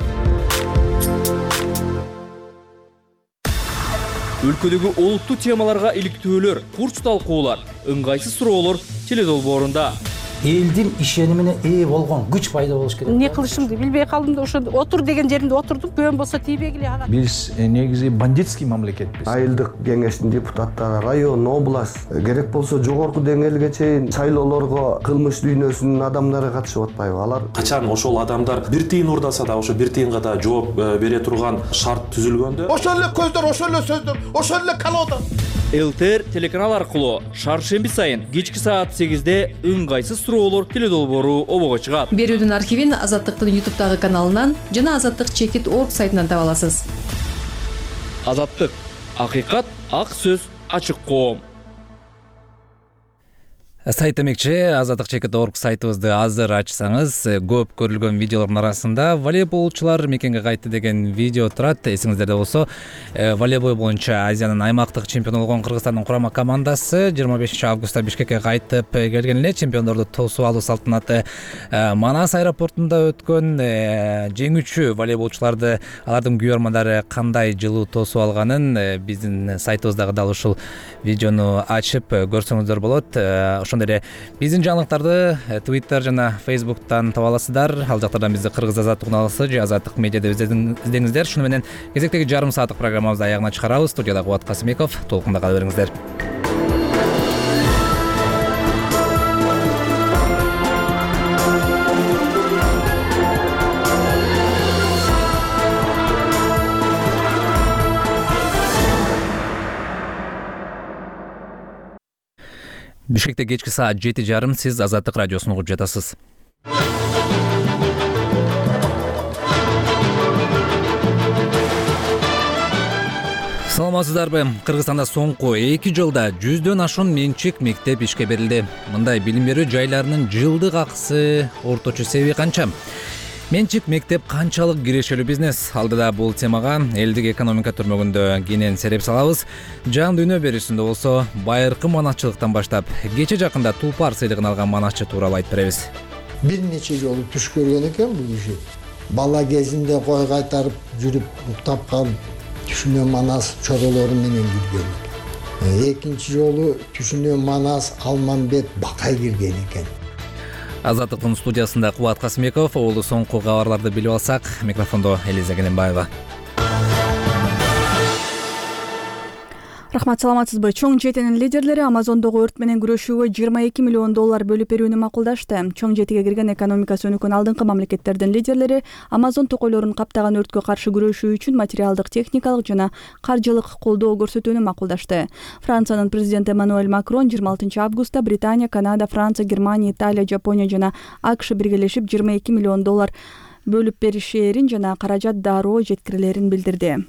Speaker 22: Өлкөдөгү олуттуу темаларга иликтөөлөр, курч талкуулар, ыңгайсыз суроолор теледолбоорунда.
Speaker 23: Элдин ишенимине ээ болгон күч пайда болуш керек.
Speaker 24: Эмне кылышымды билбей калдым да ошо отур деген жеримде отурдум. Көөм болсо тийбегиле ага.
Speaker 23: Биз негизи бандитский мамлекетпиз.
Speaker 25: Айылдык кеңештин депутаттары, район, область, керек болсо жогорку деңгээлге чейин шайлоолорго кылмыш дүйнөсүнүн адамдары катышып атпайбы? Алар
Speaker 26: качан ошол адамдар бир тыйын урдаса да ошо бир тыйынга да жооп бере турган шарт түзүлгөндө,
Speaker 27: ошол эле көздөр, ошол эле сөздөр, ошол эле колода.
Speaker 22: ЛТР телеканал аркылуу шаршемби сайын кечки саат сегизде ыңгайсыз суроолор теледолбоору обого чыгат.
Speaker 28: Берүүнүн архивин Азаттыктын ютубтагы каналынан жана азаттык чекит точка орг сайтынан таба аласыз.
Speaker 22: Азаттык, акыйкат, ак сөз, ачык коом.
Speaker 1: сайт демекчи азаттык чекит орг сайтыбызды азыр ачсаңыз көп көрүлгөн видеолордун арасында волейболчулар мекенге кайтты деген видео турат. Эсиңиздерде болсо волейбол боюнча Азиянын аймактык чемпиону болгон Кыргызстандын курама командасы жыйырма бешинчи августта Бишкекке кайтып келген эле. Чемпиондорду тосуп алуу салтанаты Манас аэропортунда өткөн. Жеңүүчү волейболчуларды алардын күйөрмандары кандай жылуу тосуп алганын биздин сайтыбыздагы дал ушул видеону ачып көрсөңүздөр болот. Ошондой эле биздин жаңылыктарды Twitter жана Facebook'тан таба аласыздар. Ал жактардан бизди Кыргыз азаттык каналы же Азаттык медиа деп издеңиздер. Шуну менен кезектеги жарым сааттык программабызды аягына чыгарабыз. Студияда Кубат Касымбеков. Толкунда кала бериңиздер. Бишкекте кечки саат жети жарым, сиз Азаттык радиосун угуп жатасыз. Саламатсыздарбы? Кыргызстанда соңку эки жылда жүздөн ашуун менчик мектеп ишке берилди. Мындай билим берүү жайларынын жылдык акысы орточо себеби канча? Менчик мектеп канчалык кирешелүү бизнес? Алдыда бул темага элдик экономика түрмөгүндө кенен сереп салабыз. Жан дүйнө берүүсүндө болсо байыркы манатчылыктан баштап кече жакында Тулпар сыйлыгын алган манатчы тууралуу айтып беребиз.
Speaker 2: Бир нече жолу түш көргөн экен бул киши. Бала кезинде кой кайтарып жүрүп уктап калып түшүнө манас чоролору менен кирген. Экинчи жолу түшүнө манас Алмамбет Бакай кирген экен.
Speaker 1: Азаттыктын студиясында Кубат Касымбеков. Оолу соңку кабарларды билип алсак, микрофондо Элиза Келенбаева.
Speaker 4: Рахмат, саламатсызбы? Чоң жетинин лидерлери Амазондогу өрт менен күрөшүүгө жыйырма эки миллион доллар бөлүп берүүнү макулдашты. Чоң жетиге кирген экономикасы өнүккөн алдыңкы мамлекеттердин лидерлери Амазон токойлорун каптаган өрткө каршы күрөшүү үчүн материалдык, техникалык жана каржылык колдоо көрсөтүүнү макулдашты. Франциянын президенти Эммануэль Макрон жыйырма алтынчы августта Британия, Канада, Франция, Германия, Италия, Жапония жана АКШ биргелешип жыйырма эки миллион доллар бөлүп беришээрин жана каражат дароо жеткирилерин билдирди.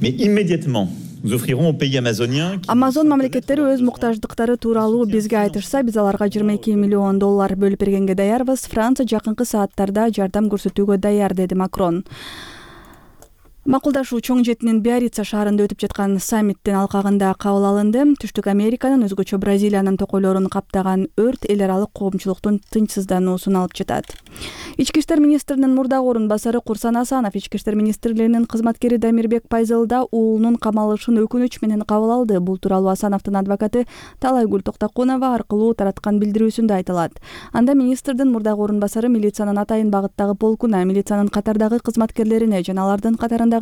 Speaker 5: Mais immédiatement, nous offrirons aux pays amazoniens.
Speaker 4: Amazon мамлекеттери өз муктаждыктары тууралуу бизге айтышса, биз аларга жыйырма эки миллион доллар бөлүп бергенге даярбыз. Франция жакынкы сааттарда жардам көрсөтүүгө даяр, деди Макрон. Макулдашуу Чоң жетинин Биарица шаарында өтүп жаткан саммиттин алкагында кабыл алынды. Түштүк Американын, өзгөчө Бразилиянын токойлорун каптаган өрт эл аралык коомчулуктун тынчсыздануусун алып жатат. Ички иштер министринин мурдагы орун басары Курсан Асанов Ички иштер министрлигинин кызматкери Дамирбек Пайзалда уулунун камалышын өкүнүч менен кабыл алды. Бул тууралуу Асановдун адвокаты Талайгүл Токтокунова аркылуу тараткан билдирүүсүндө айтылат. Анда министрдин мурдагы орун басары милициянын атайын багыттагы полкуна, милициянын катардагы кызматкерлерине жана алардын катарындагы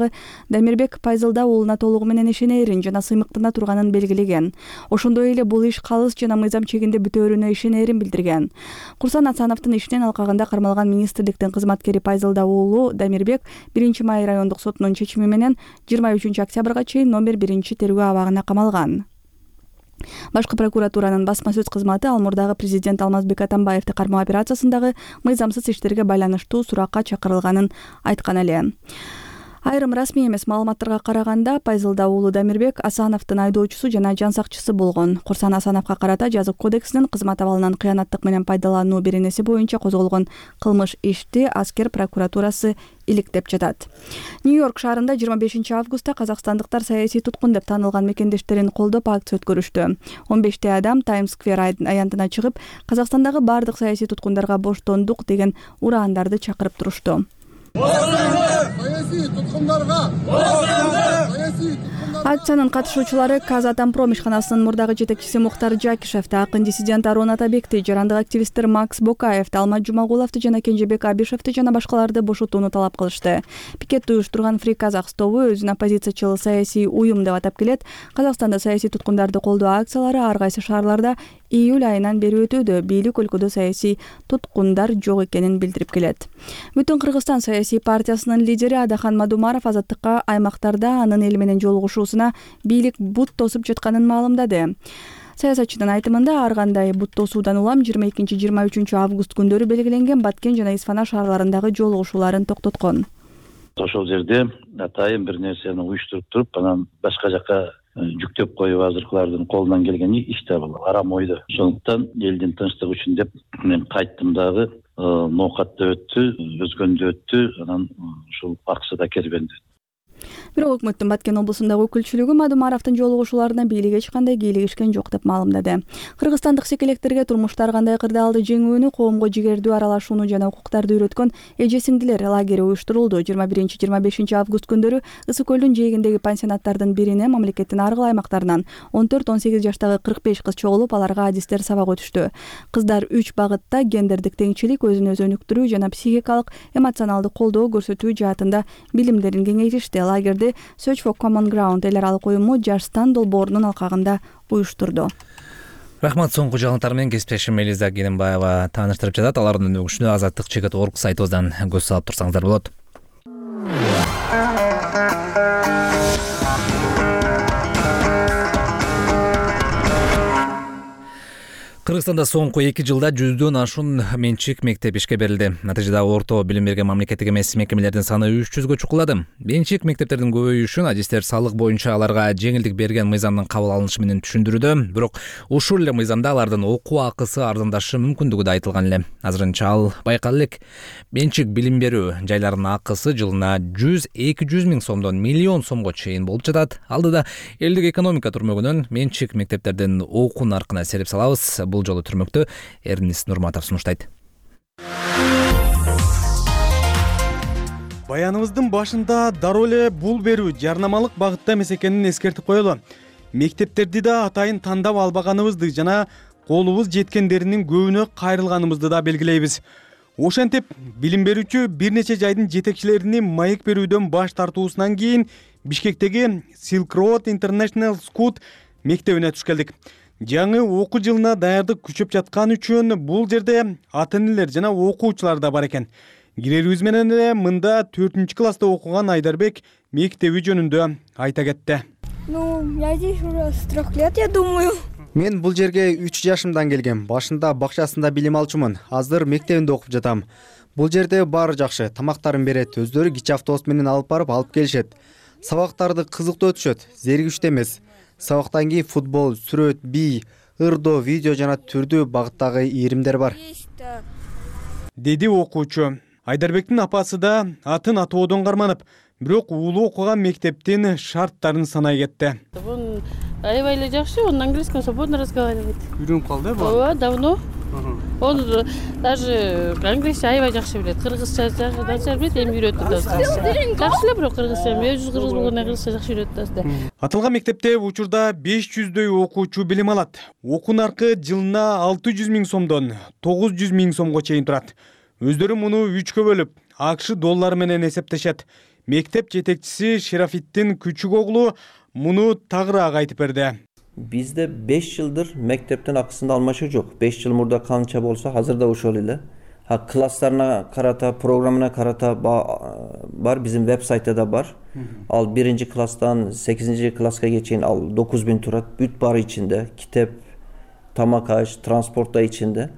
Speaker 4: Дамирбек Пайзалда уулуна толугу менен ишенерин жана сыймыктана турганын белгилеген. Ошондой эле бул иш калыс жана мыйзам чегинде бүтөөрүнө ишенерин билдирген. Курсан Асановдун ишинен алкагында кармалган министрликтин кызматкери Пайзалда уулу Дамирбек биринчи май райондук сотунун чечими менен жыйырма үчүнчү октябрга чейин номер биринчи тергөө абагына камалган. Башкы прокуратуранын басма сөз кызматы ал мурдагы президент Алмазбек Атамбаевди кармоо операциясындагы мыйзамсыз иштерге байланыштуу суракка чакырылганын айткан эле. Айрым расмий эмес маалыматтарга караганда, Пайзалда уулу Дамирбек Асановдун айдоочусу жана жан сакчысы болгон. Курсан Асановго карата Жазык кодексинин кызмат абалынан кыянаттык менен пайдалануу беренеси боюнча козголгон кылмыш ишти аскер прокуратурасы иликтеп жатат. Нью-Йорк шаарында жыйырма бешинчи августта казакстандыктар саясий туткун деп таанылган мекендештерин колдоп акция өткөрүштү. он бешти адам Таймс-сквер аянтына чыгып, Казакстандагы бардык саясий туткундарга боштондук деген ураандарды чакырып турушту.
Speaker 27: Саясий туткундарга!
Speaker 4: Акциянын катышуучулары Казатомпром ишканасынын мурдагы жетекчиси Мухтар Жакишевди, акын диссидент Арон Атабекти, жарандык активисттер Макс Бокаевди, Алмат Жумагуловду жана Кенжебек Абишевди жана башкаларды бошотууну талап кылышты. Пикетти уюштурган Free Казак тобу өзүн оппозициячыл саясий уюм деп атап келет. Казакстанда саясий туткундарды колдоо акциялары ар кайсы шаарларда июль айынан бери өтүүдө. Бийлик өлкөдө саясий туткундар жок экенин билдирип келет. Бүтүн Кыргызстан саясий партиясынын лидери Адахан Мадумаров азаттыкка аймактарда анын эл менен жолугушуусуна бийлик бут тосуп жатканын маалымдады. Саясатчынын айтымында ар кандай бут тосуудан улам жыйырма экинчи жыйырма үчүнчү август күндөрү белгиленген Баткен жана Исфана шаарларындагы жолугушууларын токтоткон.
Speaker 7: Ошол жерде атайын бир нерсени уюштуруп туруп, анан башка жака жүктөп коюп азыркылардын колунан келген иш да бул арам ойдо. Ошондуктан элдин тынчтыгы үчүн деп мен кайттым дагы, ноокатта өттү, өзгөндө өттү, анан ушул акчада кербенди.
Speaker 4: Бирок өкмөттүн Баткен облусундагы өкүлчүлүгү Мадумаровдун жолугушууларына бийлик эч кандай кийлигишкен жок деп маалымдады. Кыргызстандык секелектерге турмуштар кандай кырдаалды жеңүүнү, коомго жигердүү аралашууну жана укуктарды үйрөткөн эже-сиңдилер лагери уюштурулду. жыйырма биринчи жыйырма бешинчи август күндөрү Ысык көлдүн жээгиндеги пансионаттардын бирине мамлекеттин ар кыл аймактарынан он төрт он сегиз жаштагы кырк беш кыз чогулуп, аларга адистер сабак өтүштү. Кыздар үч багытта гендердик теңчилик, өзүн өзү өнүктүрүү жана психикалык, эмоционалдык колдоо көрсөтүү жаатында билимдерин кеңейтишти. Лагерди Search for Common Ground эл аралык уюму Жаштан долбоорунун алкагында уюштурду.
Speaker 1: Рахмат. Соңку жаңылыктар менен кесиптешим Элиза Генембаева тааныштырып жатат. Алардын өнүгүшүнө азаттык чекит точка орг сайтыбыздан көз салып турсаңыздар болот. Кыргызстанда соңку эки жылда жүздөн ашуун менчик мектеп ишке берилди. Натыйжада орто билим берген мамлекеттик эмес мекемелердин саны үч жүзгө чукулады. Менчик мектептердин көбөйүшүн адистер салык боюнча аларга жеңилдик берген мыйзамдын кабыл алынышы менен түшүндүрүүдө. Бирок ушул эле мыйзамда алардын окуу акысы арзандашы мүмкүндүгү да айтылган эле. Азырынча ал байкалып элек. Менчик билим берүү жайларынын акысы жылына жүз эки жүз миң сомдон миллион сомго чейин болуп жатат. Алдыда элдик экономика түрмөгүнөн менчик мектептердин окуу наркына сереп салабыз. Бул жолу түрмөктө Эрнис Нурматов сунуштайт.
Speaker 6: Баяныбыздын башында дароо эле бул берүү жарнамалык багытта эмес экенин эскертип коелу. Мектептерди да атайын тандап албаганыбызды жана колубуз жеткендеринин көбүнө кайрылганыбызды да белгилейбиз. Ошентип, билим берүүчү бир нече жайдын жетекчилерини маек берүүдөн баш тартуусунан кийин Бишкектеги Silk Road International School мектебине туш келдик. Жаңы окуу жылына даярдык күчөп жаткан үчүн бул жерде ата-энелер жана окуучулар да бар экен. Кирерибиз менен эле мында төртүнчү класста окуган Айдарбек мектеби жөнүндө айта кетти.
Speaker 8: Ну, я здесь уже с трех лет, я думаю.
Speaker 9: Мен бул жерге үч жашымдан келгем. Башында бакчасында билим алчумун. Азыр мектебинде окуп жатам. Бул жерде баары жакшы, тамактарын берет, өздөрү кичи автобус менен алып барып алып келишет. Сабактарды кызыктуу өтүшөт, зеригиштүү эмес. Сабактан кийин футбол, сүрөт, бий, ырдоо, видео жана түрдүү багыттагы ийримдер бар.
Speaker 6: Деди окуучу. Айдарбектин апасы да атын атоодон карманып, бирок уулу окуган мектептин шарттарын санай кетти.
Speaker 10: Он аябай эле жакшы, он на английском свободно разговаривает.
Speaker 6: Үйрөнүп калды, бул?
Speaker 10: Ооба, давно. Он даже англисче аябай жакшы билет. Кыргызча начар билет, эми үйрөттү да. Жакшы эле, бирок кыргызча, өзү кыргыз болгондон кыргызча жакшы үйрөттү да.
Speaker 6: Аталган мектепте учурда беш жүздөй окуучу билим алат. Окуу наркы жылына алты жүз миң сомдон тогуз жүз миң сомго чейин турат. Өздөрү муну үчкө бөлүп, АКШ доллары менен эсептешет. Мектеп жетекчиси Шерафиттин күчүк оглу муну тагыраак айтып берди.
Speaker 11: Бизде беш жылдыр мектептин акысын алмашуу жок. беш жыл мурда канча болсо, азыр да ошол эле. А класстарына карата, программына карата бар, биздин веб-сайтта да бар. Ал биринчи класстан сегизинчи класска чейин ал dokuz bin турат. Бүт бары ичинде, китеп, тамак аш, транспорт да ичинде.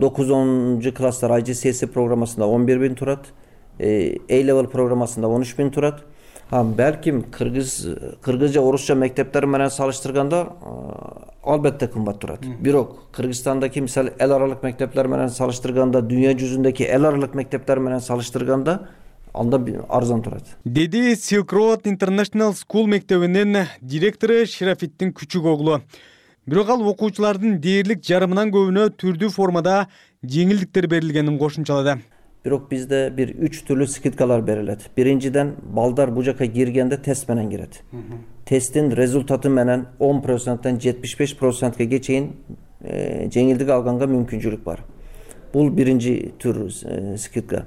Speaker 11: dokuz онунчу класстар I G C S E программасында он бир bin турат. A-level программасында он үч bin турат. Балким кыргыз кыргызча, орусча мектептер менен салыштырганда албетте кымбат турат. Бирок Кыргызстандагы мисалы эл аралык мектептер менен салыштырганда, дүйнө жүзүндөгү эл аралык мектептер менен салыштырганда анда арзан турат.
Speaker 6: Деди Silk Road International School мектебинин директору Шерафиттин күчүк оглу. Бирок ал окуучулардын дээрлик жарымынан көбүнө түрдүү формада жеңилдиктер берилгенин кошумчалады.
Speaker 11: Бирок бизде бир үч түрлүү скидкалар берилет. Биринчиден, балдар бу жака киргенде тест менен кирет. Тесттин результаты менен он проценттен жетимиш беш процентке чейин жеңилдик алганга мүмкүнчүлүк бар. Бул биринчи түр скидка.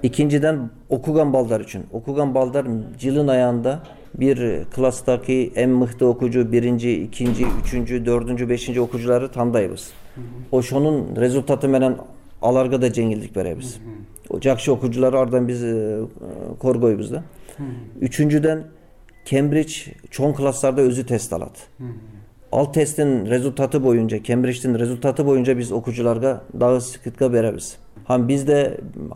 Speaker 11: Экинчиден, окуган балдар үчүн. Окуган балдар жылын аягында бир класстагы эң мыкты окуучу, биринчи, экинчи, үчүнчү, төртүнчү, бешинчи окуучуларды тандайбыз. Ошонун результаты менен аларга да жеңилдик беребиз. Жакшы окуучулар ардан биз коргойбуз да. Үчүнчүдөн, Кембридж чоң класстарда өзү тест алат. Ал тесттин результаты боюнча, Кембридждин результаты боюнча биз окуучуларга дагы скидка беребиз. Һәм бизде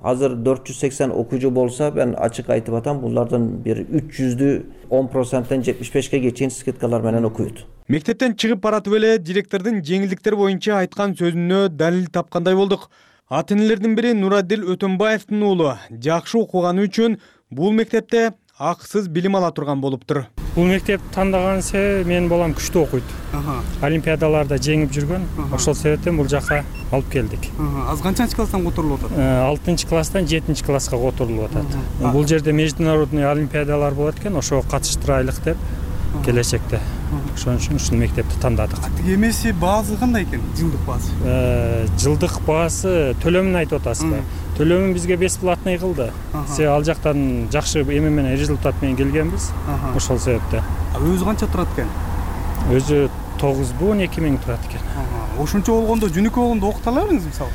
Speaker 11: азыр төрт жүз сексен окуучу болса, мен ачык айтып атам, булардан бир үч жүздү он проценттен жетимиш бешке чейин скидкалар менен окуйт.
Speaker 3: Мектептен чыгып баратып эле директордун жеңилдиктер боюнча айткан сөзүнө далил тапкандай болдук. Ата-энелердин бири Нурадил Өтөнбаевдин уулу жакшы окуганы үчүн бул мектепте акысыз билим ала турган болуптур.
Speaker 12: Бул мектеп тандаган себеби менин балам күчтүү окуйт. Олимпиадаларда жеңип жүргөн. Ошол себептен бул жака алып келдик.
Speaker 3: Аз канчанчы класстан которулуп атат?
Speaker 12: алтынчы класстан жетинчи класска которулуп атат. Бул жерде международный олимпиадалар болот экен, ошого катыштырайлык деп келечекте. Ошон үчүн ушул мектепти тандадык.
Speaker 3: Тиги эмеси баасы кандай экен? Жылдык баасы?
Speaker 12: Жылдык баасы төлөмүн айтып атасызбы? Төлөмүн бизге бесплатный кылды. Себеби ал жактан жакшы эме менен результат менен келгенбиз. Ошол себептен.
Speaker 3: Өзү канча турат экен?
Speaker 12: Өзү тогуз он эки миң турат экен.
Speaker 3: Ошончо болгондо жөнөкөй болгондо окута алабыңыз мисалы?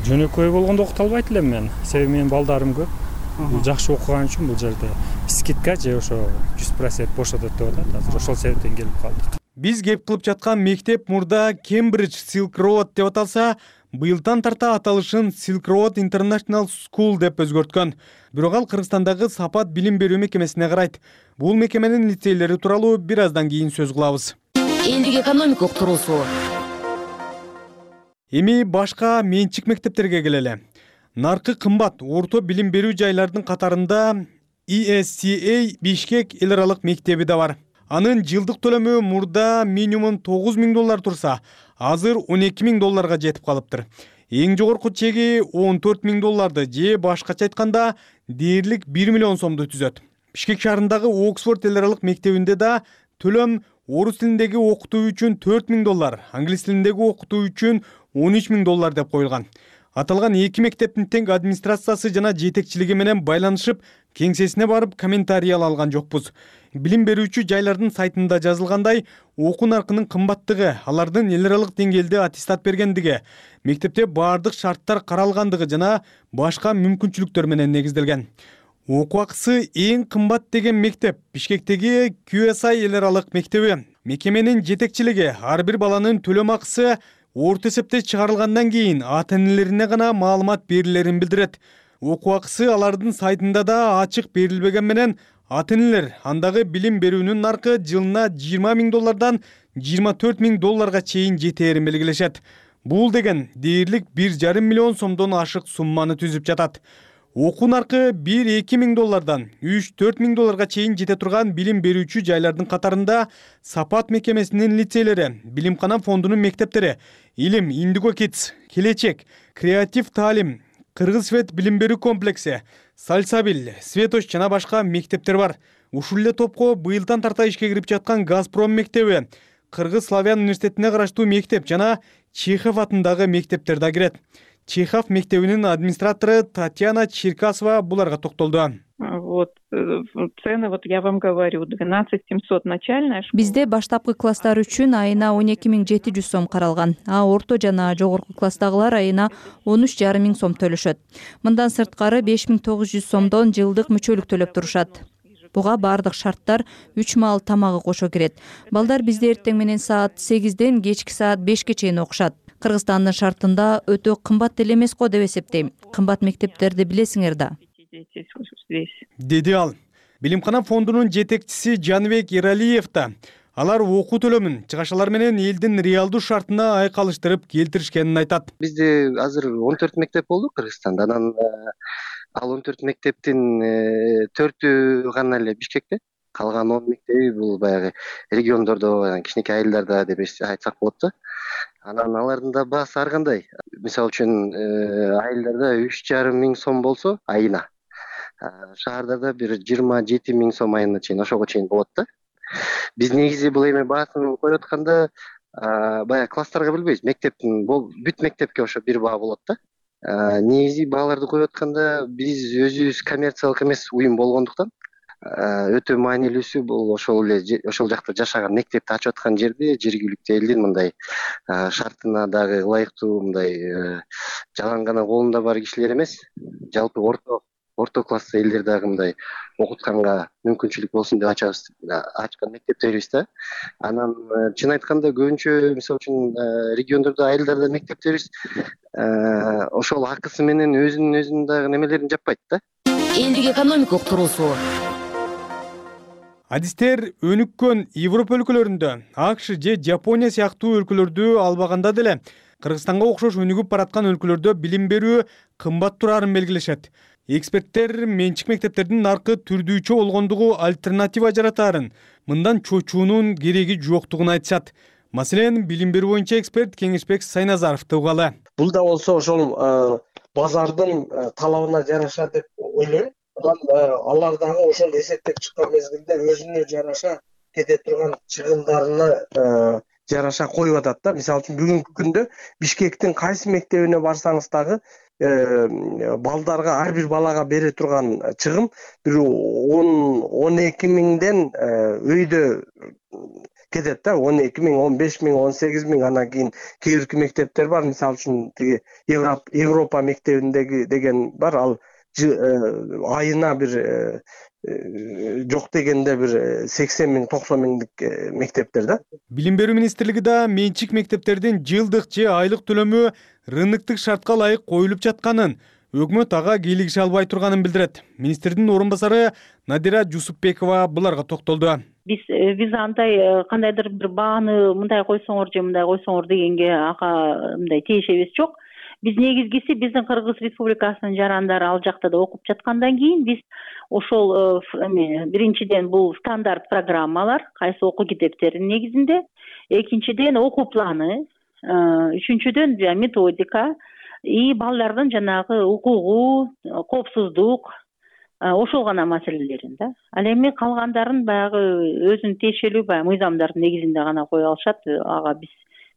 Speaker 12: Жөнөкөй болгондо окута албайт элем мен. Себеби менин балдарым көп. Бул жакшы окуган үчүн бул жерде скидка же ошо жүз процент бошотот деп атат. Азыр ошол себептен келип калдык.
Speaker 3: Биз кеп кылып жаткан мектеп мурда Cambridge Silk Road деп аталса, быйылдан тарта аталышын Silk Road International School деп өзгөрткөн. Бирок ал Кыргызстандагы сапат билим берүү мекемесине карайт. Бул мекеменин лицейлери тууралуу бир аздан кийин сөз кылабыз.
Speaker 13: Элдик экономикалык туруусу.
Speaker 3: Эми башка менчик мектептерге келели. Наркы кымбат орто билим берүү жайлардын катарында И Эс Си Эй Бишкек эл аралык мектеби да бар. Анын жылдык төлөмү мурда минимум тогуз миң доллар турса, азыр он эки миң долларга жетип калыптыр. Эң жогорку чеги он төрт миң долларды же башкача айтканда дээрлик бир миллион сомду түзөт. Бишкек шаарындагы Оксфорд эл аралык мектебинде да төлөм орус тилиндеги окутуу үчүн төрт миң доллар, англис тилиндеги окутуу үчүн он үч миң доллар деп коюлган. Аталган эки мектептин тең администрациясы жана жетекчилиги менен байланышып, кеңсесине барып комментарий ала алган жокпуз. Билим берүүчү жайлардын сайтында жазылгандай, окуу наркынын кымбаттыгы, алардын эл аралык деңгээлде аттестат бергендиги, мектепте баардык шарттар каралгандыгы жана башка мүмкүнчүлүктөр менен негизделген. Окуу акысы эң кымбат деген мектеп Бишкектеги Кью Эс Ай эл аралык мектеби. Мекеменин жетекчилиги ар бир баланын төлөм акысы орто эсепте чыгарылгандан кийин ата-энелерине гана маалымат берилерин билдирет. Окуу акысы алардын сайтында да ачык берилбеген менен ата-энелер андагы билим берүүнүн наркы жылына жыйырма миң доллардан жыйырма төрт миң долларга чейин жетээрин белгилешет. Бул деген дээрлик бир жарым миллион сомдон ашык сумманы түзүп жатат. Окуу наркы бир эки миң доллардан үч төрт миң долларга чейин жете турган билим берүүчү жайлардын катарында Сапат мекемесинин лицейлери, Билимкана фондунун мектептери, Илим, Индиго Kids, Келечек, Креатив таалим, Кыргыз Свет билим берүү комплекси, Сальсабил, Светоч жана башка мектептер бар. Ушул эле топко быйылдан тарта ишке кирип жаткан Газпром мектеби, Кыргыз Славян университетине караштуу мектеп жана Чехов атындагы мектептер да кирет. Чехов мектебинин администратору Татьяна Черкасова буларга токтолду.
Speaker 14: Вот цены, вот я вам говорю, двенадцать семьсот начальная школа.
Speaker 15: Бизде баштапкы класстар үчүн айына он эки миң жети жүз сом каралган, а орто жана жогорку класстагылар айына он үч жарым миң сом төлөшөт. Мындан сырткары беш миң тогуз жүз сомдон жылдык мүчөлүк төлөп турушат. Буга баардык шарттар үч маал тамагы кошо кирет. Балдар бизде эртең менен саат сегизден кечки саат бешке чейин окушат. Кыргызстандын шартында өтө кымбат деле эмес го деп эсептейм. Кымбат мектептерди билесиңер да.
Speaker 3: Деди ал. Билимкана фондунун жетекчиси Жанбек Эралиев да алар окуу төлөмүн чыгашалар менен элдин реалдуу шартына айкалыштырып келтиришкенин айтат.
Speaker 25: Бизде азыр он төрт мектеп болду Кыргызстанда. Анан ал он төрт мектептин төртү гана эле Бишкекте. Калган он мектеби бул баягы региондордо, кичинекей айылдарда деп айтсак болот да. Анан алардын да баасы ар кандай. Мисалы үчүн айылдарда үч жарым миң сом болсо айына, шаардарда бир жыйырма жети миң сом айына чейин, ошого чейин болот да. Биз негизи бул эме баасын коюп атканда баягы класстарга билбейбиз. Мектептин бүт мектепке ошо бир баа болот да. Негизи бааларды коюп атканда биз өзүбүз коммерциялык эмес уюм болгондуктан өтө маанилүүсү бул ошол эле ошол жакта жашаган мектепти ачып аткан жерде жергиликтүү элдин мындай шартына дагы ылайыктуу мындай жалаң гана колунда бар кишилер эмес, жалпы орто орто класс элдер дагы мындай окутканга мүмкүнчүлүк болсун деп ачабыз ачкан мектептерибиз да. Анан чын айтканда көбүнчө мисалы үчүн региондордо айылдарда мектептерибиз ошол акысы менен өзүнүн өзүнүн дагы немелерин жаппайт да.
Speaker 13: Элдик экономикалык туруусу.
Speaker 3: Адистер өнүккөн Европа өлкөлөрүндө, АКШ же Жапония сыяктуу өлкөлөрдү албаганда деле Кыргызстанга окшош өнүгүп бараткан өлкөлөрдө билим берүү кымбат турарын белгилешет. Эксперттер менчик мектептердин наркы түрдүүчө болгондугу альтернатива жаратаарын, мындан чочуунун кереги жоктугун айтышат. Маселен, билим берүү боюнча эксперт Кеңешбек Сайназаровду угалы.
Speaker 16: Бул да болсо ошол базардын талабына жараша деп ойлойм. Алар дагы ошол эсептеп чыккан мезгилде өзүнө жараша кете турган чыгымдарына жараша коюп атат да. Мисалы үчүн бүгүнкү күндө Бишкектин кайсы мектебине барсаңыз дагы балдарга, ар бир балага бере турган чыгым бир он эки миңден өйдө кетет да. он эки миң, он беш миң, он сегиз миң, анан кийин кээ бирки мектептер бар. Мисалы үчүн тиги Европа мектебиндеги деген бар. Ал айына бир жок дегенде бир сексен миң, токсон миңдик мектептер да.
Speaker 3: Билим берүү министрлиги да менчик мектептердин жылдык же айлык төлөмү рыноктук шартка ылайык коюлуп жатканын, өкмөт ага кийлигише албай турганын билдирет. Министрдин орун басары Надира Жусупбекова буларга токтолду.
Speaker 17: Биз биз андай кандайдыр бир бааны мындай койсоңор же мындай койсоңор дегенге ага мындай тиешебиз жок. Биз негизгиси биздин Кыргыз Республикасынын жарандары ал жакта да окуп жаткандан кийин биз ошол биринчиден бул стандарт программалар, кайсы окуу китептеринин негизинде, экинчиден окуу планы, үчүнчүдөн методика и балдардын жанагы укугу, коопсуздук, ошол гана маселелерин да. Ал эми калгандарын баягы өзүнүн тиешелүү баягы мыйзамдардын негизинде гана кое алышат. Ага биз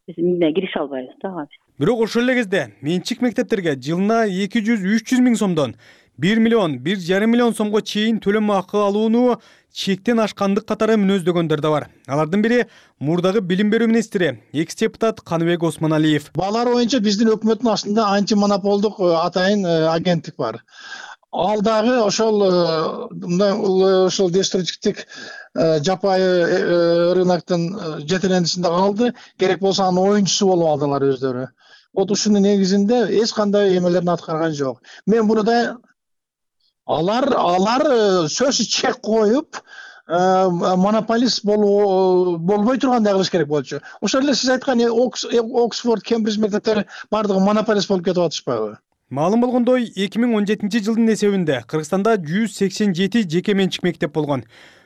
Speaker 17: биз кирише албайбыз да ага.
Speaker 3: Бирок ошол эле кезде менчик мектептерге жылына эки жүз үч жүз миң сомдон бир миллион, бир жарым миллион сомго чейин төлөм акы алууну чектен ашкандык катары мүнөздөгөндөр да бар. Алардын бири мурдагы билим берүү министри, экс-депутат Каныбек Осмоналиев.
Speaker 27: Балар боюнча биздин өкмөттүн астында антимонополдук атайын агенттик бар. Ал дагы ошол мындай ошол деструктивдик жапайы рыноктун жетелендисинде калды. Керек болсо анын оюнчусу болуп алдылар өздөрү. Вот ушунун негизинде эч кандай эмелерин аткарган жок. Мен буну да алар алар сөзсүз чек коюп монополист болбой тургандай кылыш керек болчу. Ошол эле сиз айткан Оксфорд, Кембридж мектептери бардыгы монополист болуп кетип атышпайбы?
Speaker 3: Маалым болгондой, эки миң он жетинчи жылдын эсебинде Кыргызстанда жүз сексен жети жеке менчик мектеп болгон.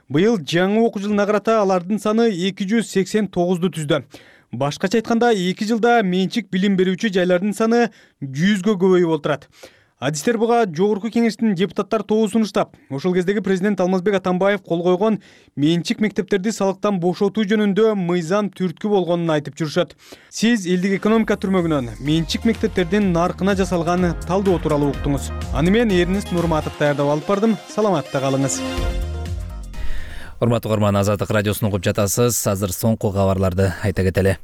Speaker 3: Быйыл жаңы окуу жылына карата алардын саны эки жүз сексен тогузду түздү. Башкача айтканда, эки жылда менчик билим берүүчү жайлардын саны жүзгө көбөйүп отурат. Адистер буга жогорку кеңештин депутаттар тобу сунуштап, ошол кездеги президент Алмазбек Атамбаев кол койгон менчик мектептерди салыктан бошотуу жөнүндө мыйзам түрткү болгонун айтып жүрүшөт. Сиз элдик экономика түрмөгүнөн менчик мектептердин наркына жасалган талдоо тууралуу уктуңуз. Аны мен Эрнест Нурматов даярдап алып бардым. Саламатта калыңыз.
Speaker 1: Урматтуу көрөрман, Азаттык радиосун угуп жатасыз. Азыр соңку кабарларды айта кетели.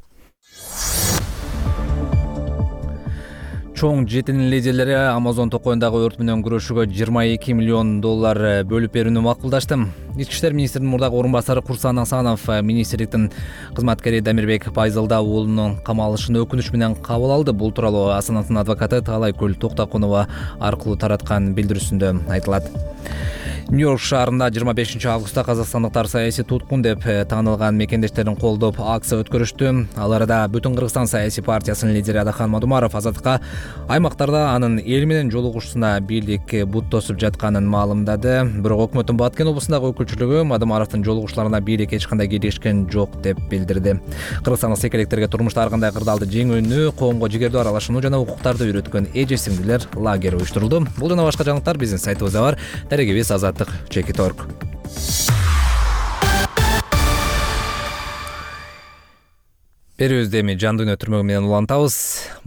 Speaker 1: Чоң жетинин лидерлери Амазон токойундагы өрт менен күрөшүүгө жыйырма эки миллион доллар бөлүп берүүнү макулдашты. Ички иштер министринин мурдагы орун басары Курсан Асанов министрликтин кызматкери Дамирбек Пайзалда уулунун камалышын өкүнүч менен кабыл алды. Бул тууралуу Асановдун адвокаты Таалайкүл Токтокунова аркылуу тараткан билдирүүсүндө айтылат. Нью-Йорк шаарында жыйырма бешинчи августта казакстандыктар саясий туткун деп таанылган мекендештерин колдоп акция өткөрүштү. Ал арада Бүтүн Кыргызстан саясий партиясынын лидери Адахан Мадумаров азаттыкка аймактарда анын эл менен жолугушуусуна бийлик бут тосуп жатканын маалымдады. Бирок өкмөттүн Баткен облусундагы өкүлчүлүгү Мадумаровдун жолугушууларына бийлик эч кандай кийлигишкен жок деп билдирди. Кыргызстандык секелектерге турмушта ар кандай кырдаалды жеңүүнү, коомго жигердүү аралашууну жана укуктарды үйрөткөн эже сиңдилер лагери уюштурулду. Бул жана башка жаңылыктар биздин сайтыбызда бар. Дарегибиз азаттык чекит точка орг. Берүүбүздө эми жан дүйнө түрмөгү менен улантабыз.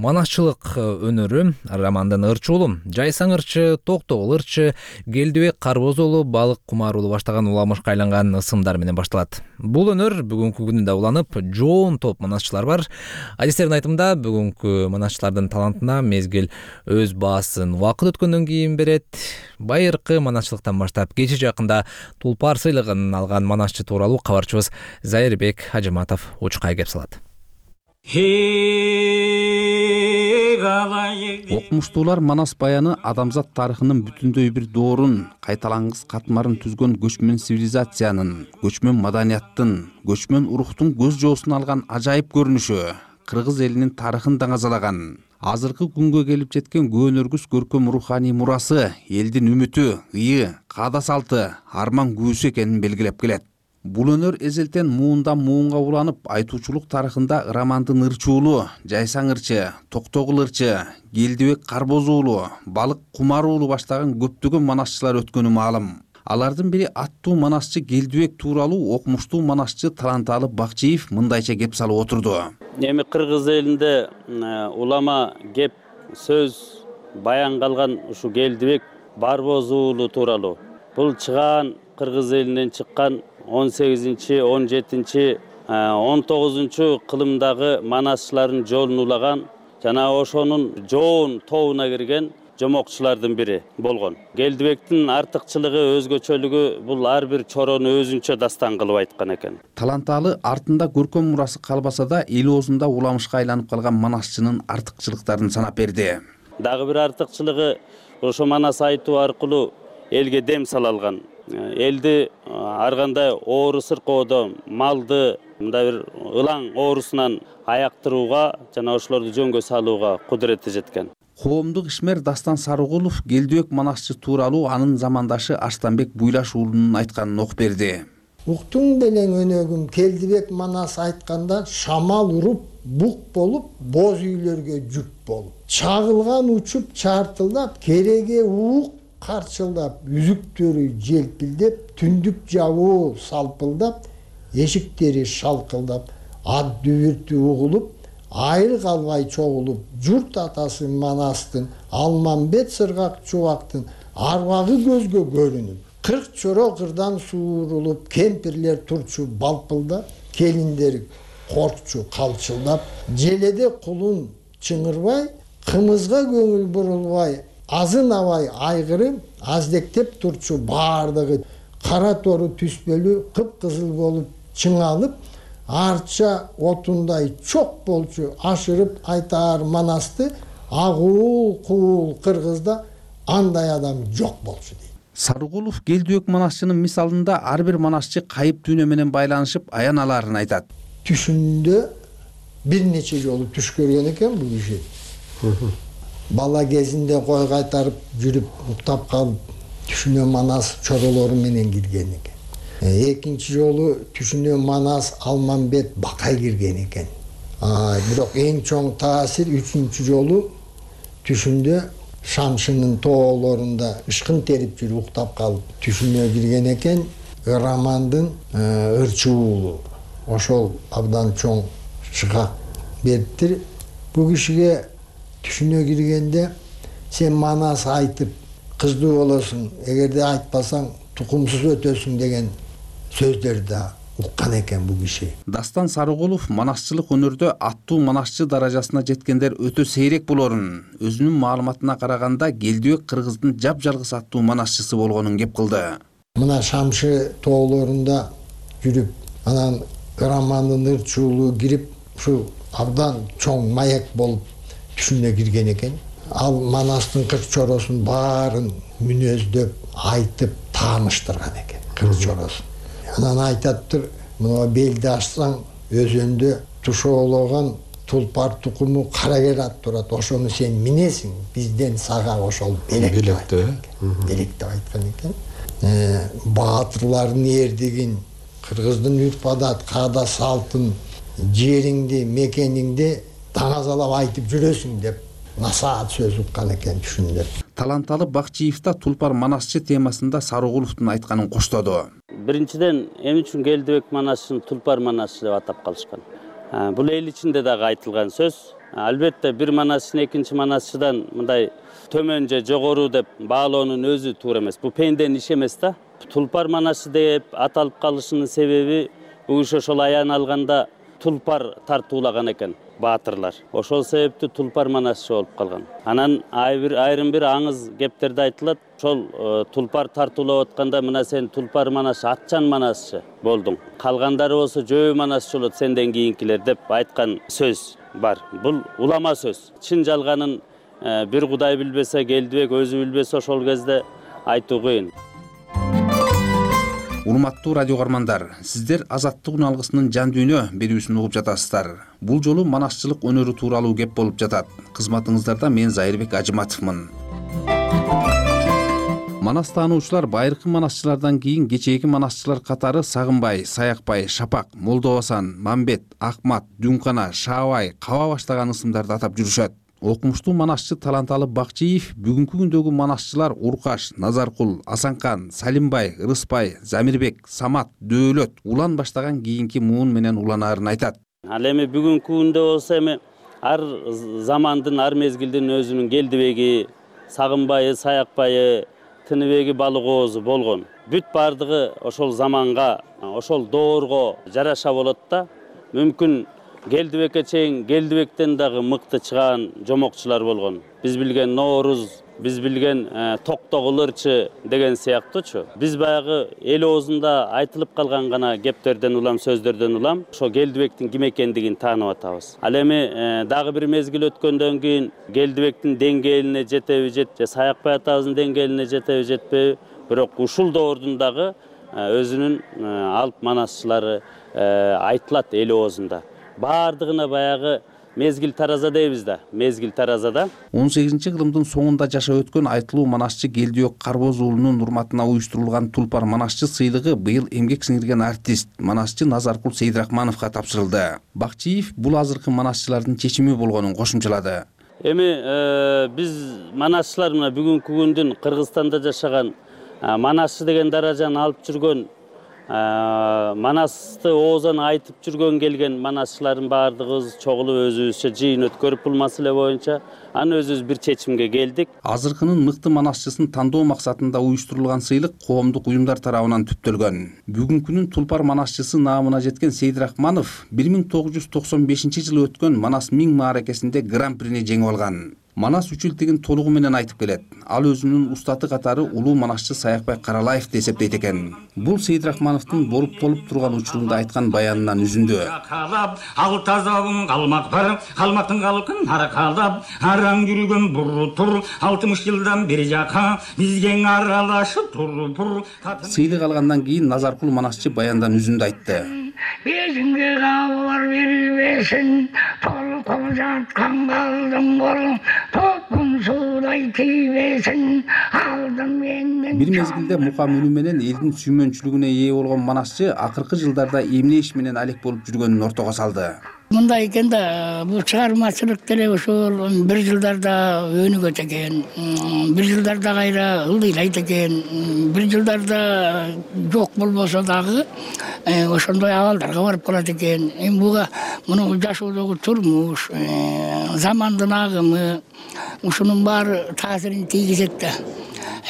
Speaker 1: Манасчылык өнөрү Романдын ырчы уулу, Жайсаң ырчы, Токтогул ырчы, Келдибек Карбоз уулу, Балык Кумар уулу баштаган уламышка айланган ысымдар менен башталат. Бул өнөр бүгүнкү күндө уланып, жоон топ манасчылар бар. Адистердин айтымында бүгүнкү манасчылардын талантына мезгил өз баасын убакыт өткөндөн кийин берет. Байыркы манасчылыктан баштап кече жакында Тулпар сыйлыгын алган манасчы тууралуу кабарчыбыз Зайырбек Хажыматов учкай кеп салат.
Speaker 18: Окумуштуулар Манас баяны адамзат тарыхынын бүтүндөй бир доорун, кайталангыс катмарын түзгөн көчмөн цивилизациянын, көчмөн маданияттын, көчмөн урухтун көз жоосун алган ажайып көрүнүшү, кыргыз элинин тарыхын даңазалаган. Азыркы күнгө келип жеткен көөнөргүс көркөм руханий мурасы, элдин үмүтү, ыйы, каада салты, арман күүсү экенин белгилеп келет. Бул өнөр эзелтен муундан муунга уланып, айтуучулук тарыхында Романдын ырчы уулу, Жайсаң ырчы, Токтогул ырчы, Келдибек Карбоз уулу, Балык Кумар уулу баштаган көптөгөн манасчылар өткөнү маалым. Алардын бири аттуу манасчы Келдибек тууралуу окумуштуу манасчы Таланталы Бакчиев мындайча кеп салып отурду.
Speaker 19: Эми кыргыз элинде улама кеп сөз баян калган ушу Келдибек Карбоз уулу тууралуу. Бул чыгаан кыргыз элинен чыккан он сегизинчи, он жетинчи, он тогузунчу кылымдагы манасчылардын жолун улаган жана ошонун жоон тобуна кирген жомокчулардын бири болгон. Келдибектин артыкчылыгы, өзгөчөлүгү бул ар бир чорону өзүнчө дастан кылып айткан экен.
Speaker 18: Таланталы артында көркөм мурасы калбаса да, эл оозунда уламышка айланып калган манасчынын артыкчылыктарын санап берди.
Speaker 19: Дагы бир артыкчылыгы ошо манас айтуу аркылуу элге дем сала алган. Элди ар кандай оору сыркоодон, малды мындай бир ылаң оорусунан аяктырууга жана ошолорду жөнгө салууга кудурети жеткен.
Speaker 18: Коомдук ишмер Дастан Сарыгулов Келдибек манасчы тууралуу анын замандашы Арстанбек Буйлаш уулунун айтканын окуп берди.
Speaker 2: Уктуң белең өнөгүм Келдибек манас айтканда шамал уруп, бук болуп, боз үйлөргө жүк болуп. Чагылган учуп чартылдап, кереге уук карчылдап, үзүктөрү желпилдеп, түндүк жабуу салпылдап, эшиктери шалкылдап, ат дүбүртү угулуп, айыл калбай чогулуп, журт атасы Манастын, Алмамбет сыргак чубактын арбагы көзгө көрүнүп, кырк чоро кырдан суурулуп, кемпирлер турчу балпылдап, келиндер коркчу калчылдап, желеде кулун чыңырбай, кымызга көңүл бурулбай, азын абай айгырым аздектеп турчу баардыгы кара тору түспөлүү кыпкызыл болуп чыңалып, арча отундай чок болчу ашырып айтаар Манасты агуул куул кыргызда андай адам жок болчу дейт.
Speaker 18: Сарыгулов Келдибек манасчынын мисалында ар бир манасчы кайып дүйнө менен байланышып аяналарын айтат.
Speaker 2: Түшүндө бир нече жолу түш көргөн экен бул киши. Бала кезинде кой кайтарып жүрүп уктап калып түшүнө Манас чоролору менен кирген экен. Экинчи жолу түшүнө Манас Алмамбет Бакай кирген экен. Бирок эң чоң таасир үчүнчү жолу түшүндө Шамшынын тоолорунда ышкын терип жүрүп уктап калып түшүнө кирген экен. Романдын ырчы уулу ошол абдан чоң чыга бериптир. Бул кишиге түшүнө киргенде сен Манас айтып кыздуу болосуң, эгерде айтпасаң тукумсуз өтөсүң деген сөздөрдү уккан экен бул киши.
Speaker 18: Дастан Сарыгулов манасчылык өнөрдө аттуу манасчы даражасына жеткендер өтө сейрек болорун, өзүнүн маалыматына караганда Келдибек кыргыздын жапжалгыс аттуу манасчысы болгонун кеп кылды.
Speaker 2: Мына Шамшы тоолорунда жүрүп, анан Романдын ырчы уулу кирип, ушу абдан чоң маяк болуп түшүнө кирген экен. Ал Манастын кырк чоросун баарын мүнөздөп, айтып тааныштырган экен, кырк чоросун. Анан айтаттыр, мына белди ачсаң өзөндө тушоологон тулпар тукуму карагер ат турат, ошону сен минесиң, бизден сага ошол белек деп айткан экен. Белек деп айткан экен. Баатырлардын эрдигин, кыргыздын үрп адат, каада салтын, жериңди, мекениңди таңазалап айтып жүрөсүң деп насаат сөз уккан экен түшүндө.
Speaker 18: Таланталы Бакчиев да Тулпар манасчы темасында Сарыгуловдун айтканын коштоду.
Speaker 19: Биринчиден, эмне үчүн Келдибек манасчын Тулпар манасчы деп атап калышкан? Бул эл ичинде дагы айтылган сөз. Албетте бир манасчы экинчи манасчыдан мындай төмөн же жогору деп баалоонун өзү туура эмес. Бул пенденин иши эмес да. Тулпар манасчы деп аталып калышынын себеби бул киши ошол аян алганда тулпар тартуулаган экен баатырлар. Ошол себептүү тулпар манасчы болуп калган. Анан айрым бир аңыз кептерде айтылат. Ошол тулпар тартуулап атканда мына сен тулпар манасчы, атчан манасчы болдуң. Калгандары болсо жөө манасчы болот сенден кийинкилер деп айткан сөз бар. Бул улама сөз. Чын жалганын бир Кудай билбесе, Келдибек өзү билбесе ошол кезде айтуу кыйын.
Speaker 18: Урматтуу радио каармандар, сиздер Азаттык үн алгысынын жан дүйнө берүүсүн угуп жатасыздар. Бул жолу манасчылык өнөрү тууралуу кеп болуп жатат. Кызматыңыздарда мен Зайырбек Ажыматовмун. Манас таануучулар байыркы манасчылардан кийин кечээки манасчылар катары Сагынбай, Саякбай, Шапак, Молдобасан, Мамбет, Акмат, Дүнкана, Шаабай, Каба баштаган ысымдарды атап жүрүшөт. Окумуштуу манасчы Таланталы Бакчиев бүгүнкү күндөгү манасчылар Уркаш, Назаркул, Асанкан, Салимбай, Ырыспай, Замирбек, Самат, Дөөлөт, Улан баштаган кийинки муун менен уланаарын айтат.
Speaker 19: Ал эми бүгүнкү күндө болсо эми ар замандын, ар мезгилдин өзүнүн Келдибеги, Сагынбайы, Саякбайы, Тыныбеги, Балыгоозу болгон. Бүт бардыгы ошол заманга, ошол доорго жараша болот да. Мүмкүн Келдибекке чейин Келдибектен дагы мыкты чыган жомокчулар болгон. Биз билген Нооруз, биз билген Токтогулурчу деген сыяктуучу. Биз баягы эл оозунда айтылып калган гана кептерден улам, сөздөрдөн улам ошо Келдибектин ким экендигин таанып атабыз. Ал эми дагы бир мезгил өткөндөн кийин Келдибектин деңгээлине жетеби жет, же Саякбай атабыздын деңгээлине жетеби жетпеби, бирок ушул доордун дагы өзүнүн алып манасчылары айтылат эл оозунда. Бардыгына баягы мезгил тараза дейбиз да, мезгил таразада.
Speaker 18: он сегизинчи кылымдын соңунда жашап өткөн айтылуу манасчы Келдибек Карбоз уулунун урматына уюштурулган Тулпар манасчы сыйлыгы быйыл эмгек сиңирген артист, манасчы Назаркул Сейдрахмановго тапшырылды. Бакчиев бул азыркы манасчылардын чечими болгонун кошумчалады.
Speaker 19: Эми биз манасчылар мына бүгүнкү күндүн Кыргызстанда жашаган манасчы деген даражаны алып жүргөн, манасты оозан айтып жүргөн келген манасчылардын баардыгыбыз чогулуп өзүбүзчө жыйын өткөрүп бул маселе боюнча аны өзүбүз бир чечимге келдик.
Speaker 18: Азыркынын мыкты манасчысын тандоо максатында уюштурулган сыйлык коомдук уюмдар тарабынан түптөлгөн. Бүгүнкүнүн Тулпар манасчысы наамына жеткен Сейдрахманов бир миң тогуз жүз токсон бешинчи жылы өткөн Манас миң мааракесинде гран-прини жеңип алган. Манас үчүлтигин толугу менен айтып келет. Ал өзүнүн устаты катары улуу манасчы Саякбай Каралаев деп эсептейт экен. Бул Сейдрахмановдун боруп толуп турган учурунда айткан баянынан үзүндү.
Speaker 5: Ал тазабың калмак бар, калмактын калкын аракалап, араң жүргөн буру тур, алтымыш жылдан бери жака бизге аралашып туруп.
Speaker 18: Сыйлык алгандан кийин Назаркул манасчы баяндан үзүндү айтты.
Speaker 5: Безинге кабылар бербесин, толуп жаткан калдым болуп, топун суудай тийбесин, алдым менден.
Speaker 18: Бир мезгилде мукам үнү менен элдин сүймөнчүлүгүнө ээ болгон манасчы акыркы жылдарда эмне иш менен алек болуп жүргөнүн ортого салды.
Speaker 5: Мындай экен да, бул чыгармачылык деле ошол бир жылдарда өнүгөт экен, бир жылдарда кайра ылдыйлайт экен, бир жылдарда жок болбосо дагы ошондой абалдарга барып калат экен. Эми буга муну жашоодогу турмуш, замандын агымы ушунун баары таасирин тийгизет да.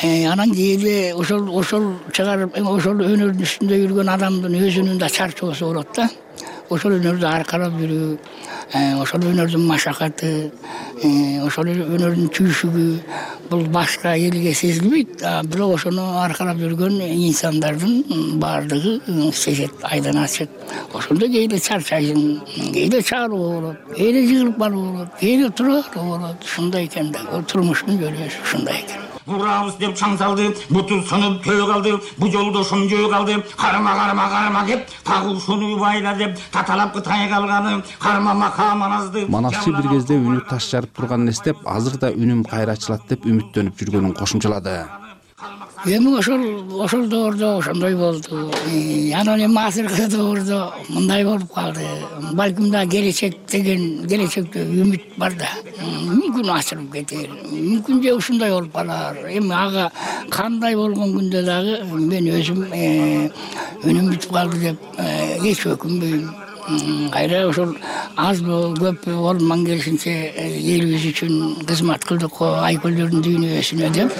Speaker 5: Анан кийин ошол ошол чыгарып, ошол өнөрдүн үстүндө жүргөн адамдын өзүнүн да чарчоосу болот да. Ошол өнөрдү аркалап жүрүү, ошол өнөрдүн машакаты, ошол өнөрдүн түйшүгү бул башка элге сезилбейт, бирок ошону аркалап жүргөн инсандардын баардыгы сезет, айдан ачык. Ошондо кээде чарчайсың, кээде чaalуу болот, кээде жыгылып калуу болот, кээде тураруу болот. Ушундай экен да, бул турмуштун жөлөөсү ушундай экен. Урабыз деп чаң салды, буту сынып көө калды, бу жолдошум жөө калды, карма карма карма деп, тагы ушуну байла деп, таталап кытай калганы, карма мака маназды.
Speaker 18: Манасчы бир кезде үнү таш жарып турганын эстеп, азыр да үнүм кайра ачылат деп үмүттөнүп жүргөнүн кошумчалады.
Speaker 5: Эми ошол ошол доордо ошондой болду. Анан эми азыркы доордо мындай болуп калды. Балким да келечек деген, келечекте үмүт бар да. Мүмкүн ачылып кетер. Мүмкүн же ушундай болуп калар. Эми ага кандай болгон күндө дагы мен өзүм үнүм бүтүп калды деп эч өкүнбөйм. кайра ошол азбы көппү колуман келишинче элибиз үчүн кызмат кылдык го айкөлдөрдүн дүйнөсүнө деп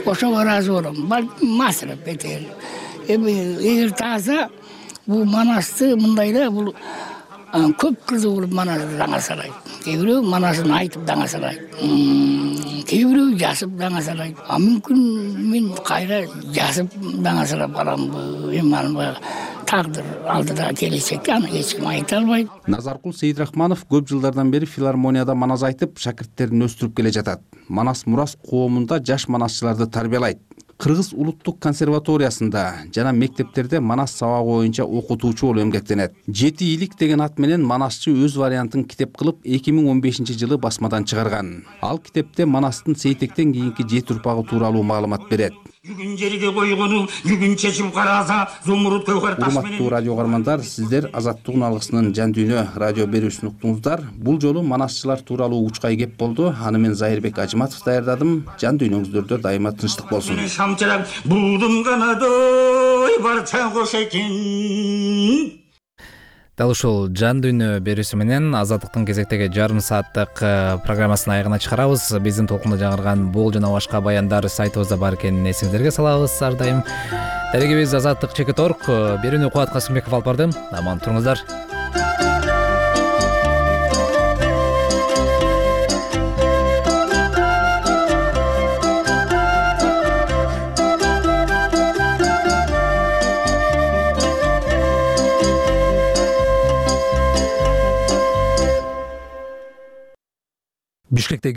Speaker 5: ошого ыраазы болом. Масырап бетер. Эми эгер тааза бул Манасты мындай эле бул көп кызы болуп Манасты даңа салайт. Кээ бирөө Манасын айтып даңа салайт. Кээ бирөө жазып даңа салайт. А мүмкүн мен кайра жазып даңа салап каламбы? Эми аны тагдыр алдыда келечекке аны эч ким айта албайт.
Speaker 18: Назаркул Сейидрахманов көп жылдардан бери филармонияда манас айтып, шакирттерин өстүрүп келе жатат. Манас Мурас коомунда жаш манасчыларды тарбиялайт. Кыргыз улуттук консерваториясында жана мектептерде манас сабагы боюнча окутуучу болуп эмгектенет. Жети илик деген ат менен манасчы өз вариантын китеп кылып эки миң он бешинчи жылы басмадан чыгарган. Ал китепте Манастын Сейтектен кийинки жети урпагы тууралуу маалымат берет.
Speaker 7: Бүгүн жерге койгону, бүгүн чечип караса, зумруд көгөр таш менен.
Speaker 18: Урматтуу радио каармандар, сиздер Азаттык алгысынын Жан дүйнө радио берүүсүн уктуңуздар. Бул жолу манасчылар тууралуу учкай кеп болду. Аны мен Зайырбек Ажыматов даярдадым. Жан дүйнөңүздөрдө дайыма тынчтык болсун.
Speaker 7: Шамчырак булдум канадой барча кош экен.
Speaker 1: Дал ушул Жан дүйнө берүүсү менен Азаттыктын кезектеги жарым сааттык программасын аягына чыгарабыз. Биздин толкунда жаңырган бул жана башка баяндар сайтыбызда бар экенин эсиңиздерге салабыз ар дайым. Дарегибиз Азаттык чекит орг. Берүүнү Кубат Касымбеков алып бардым. Аман туруңуздар. Бишкекте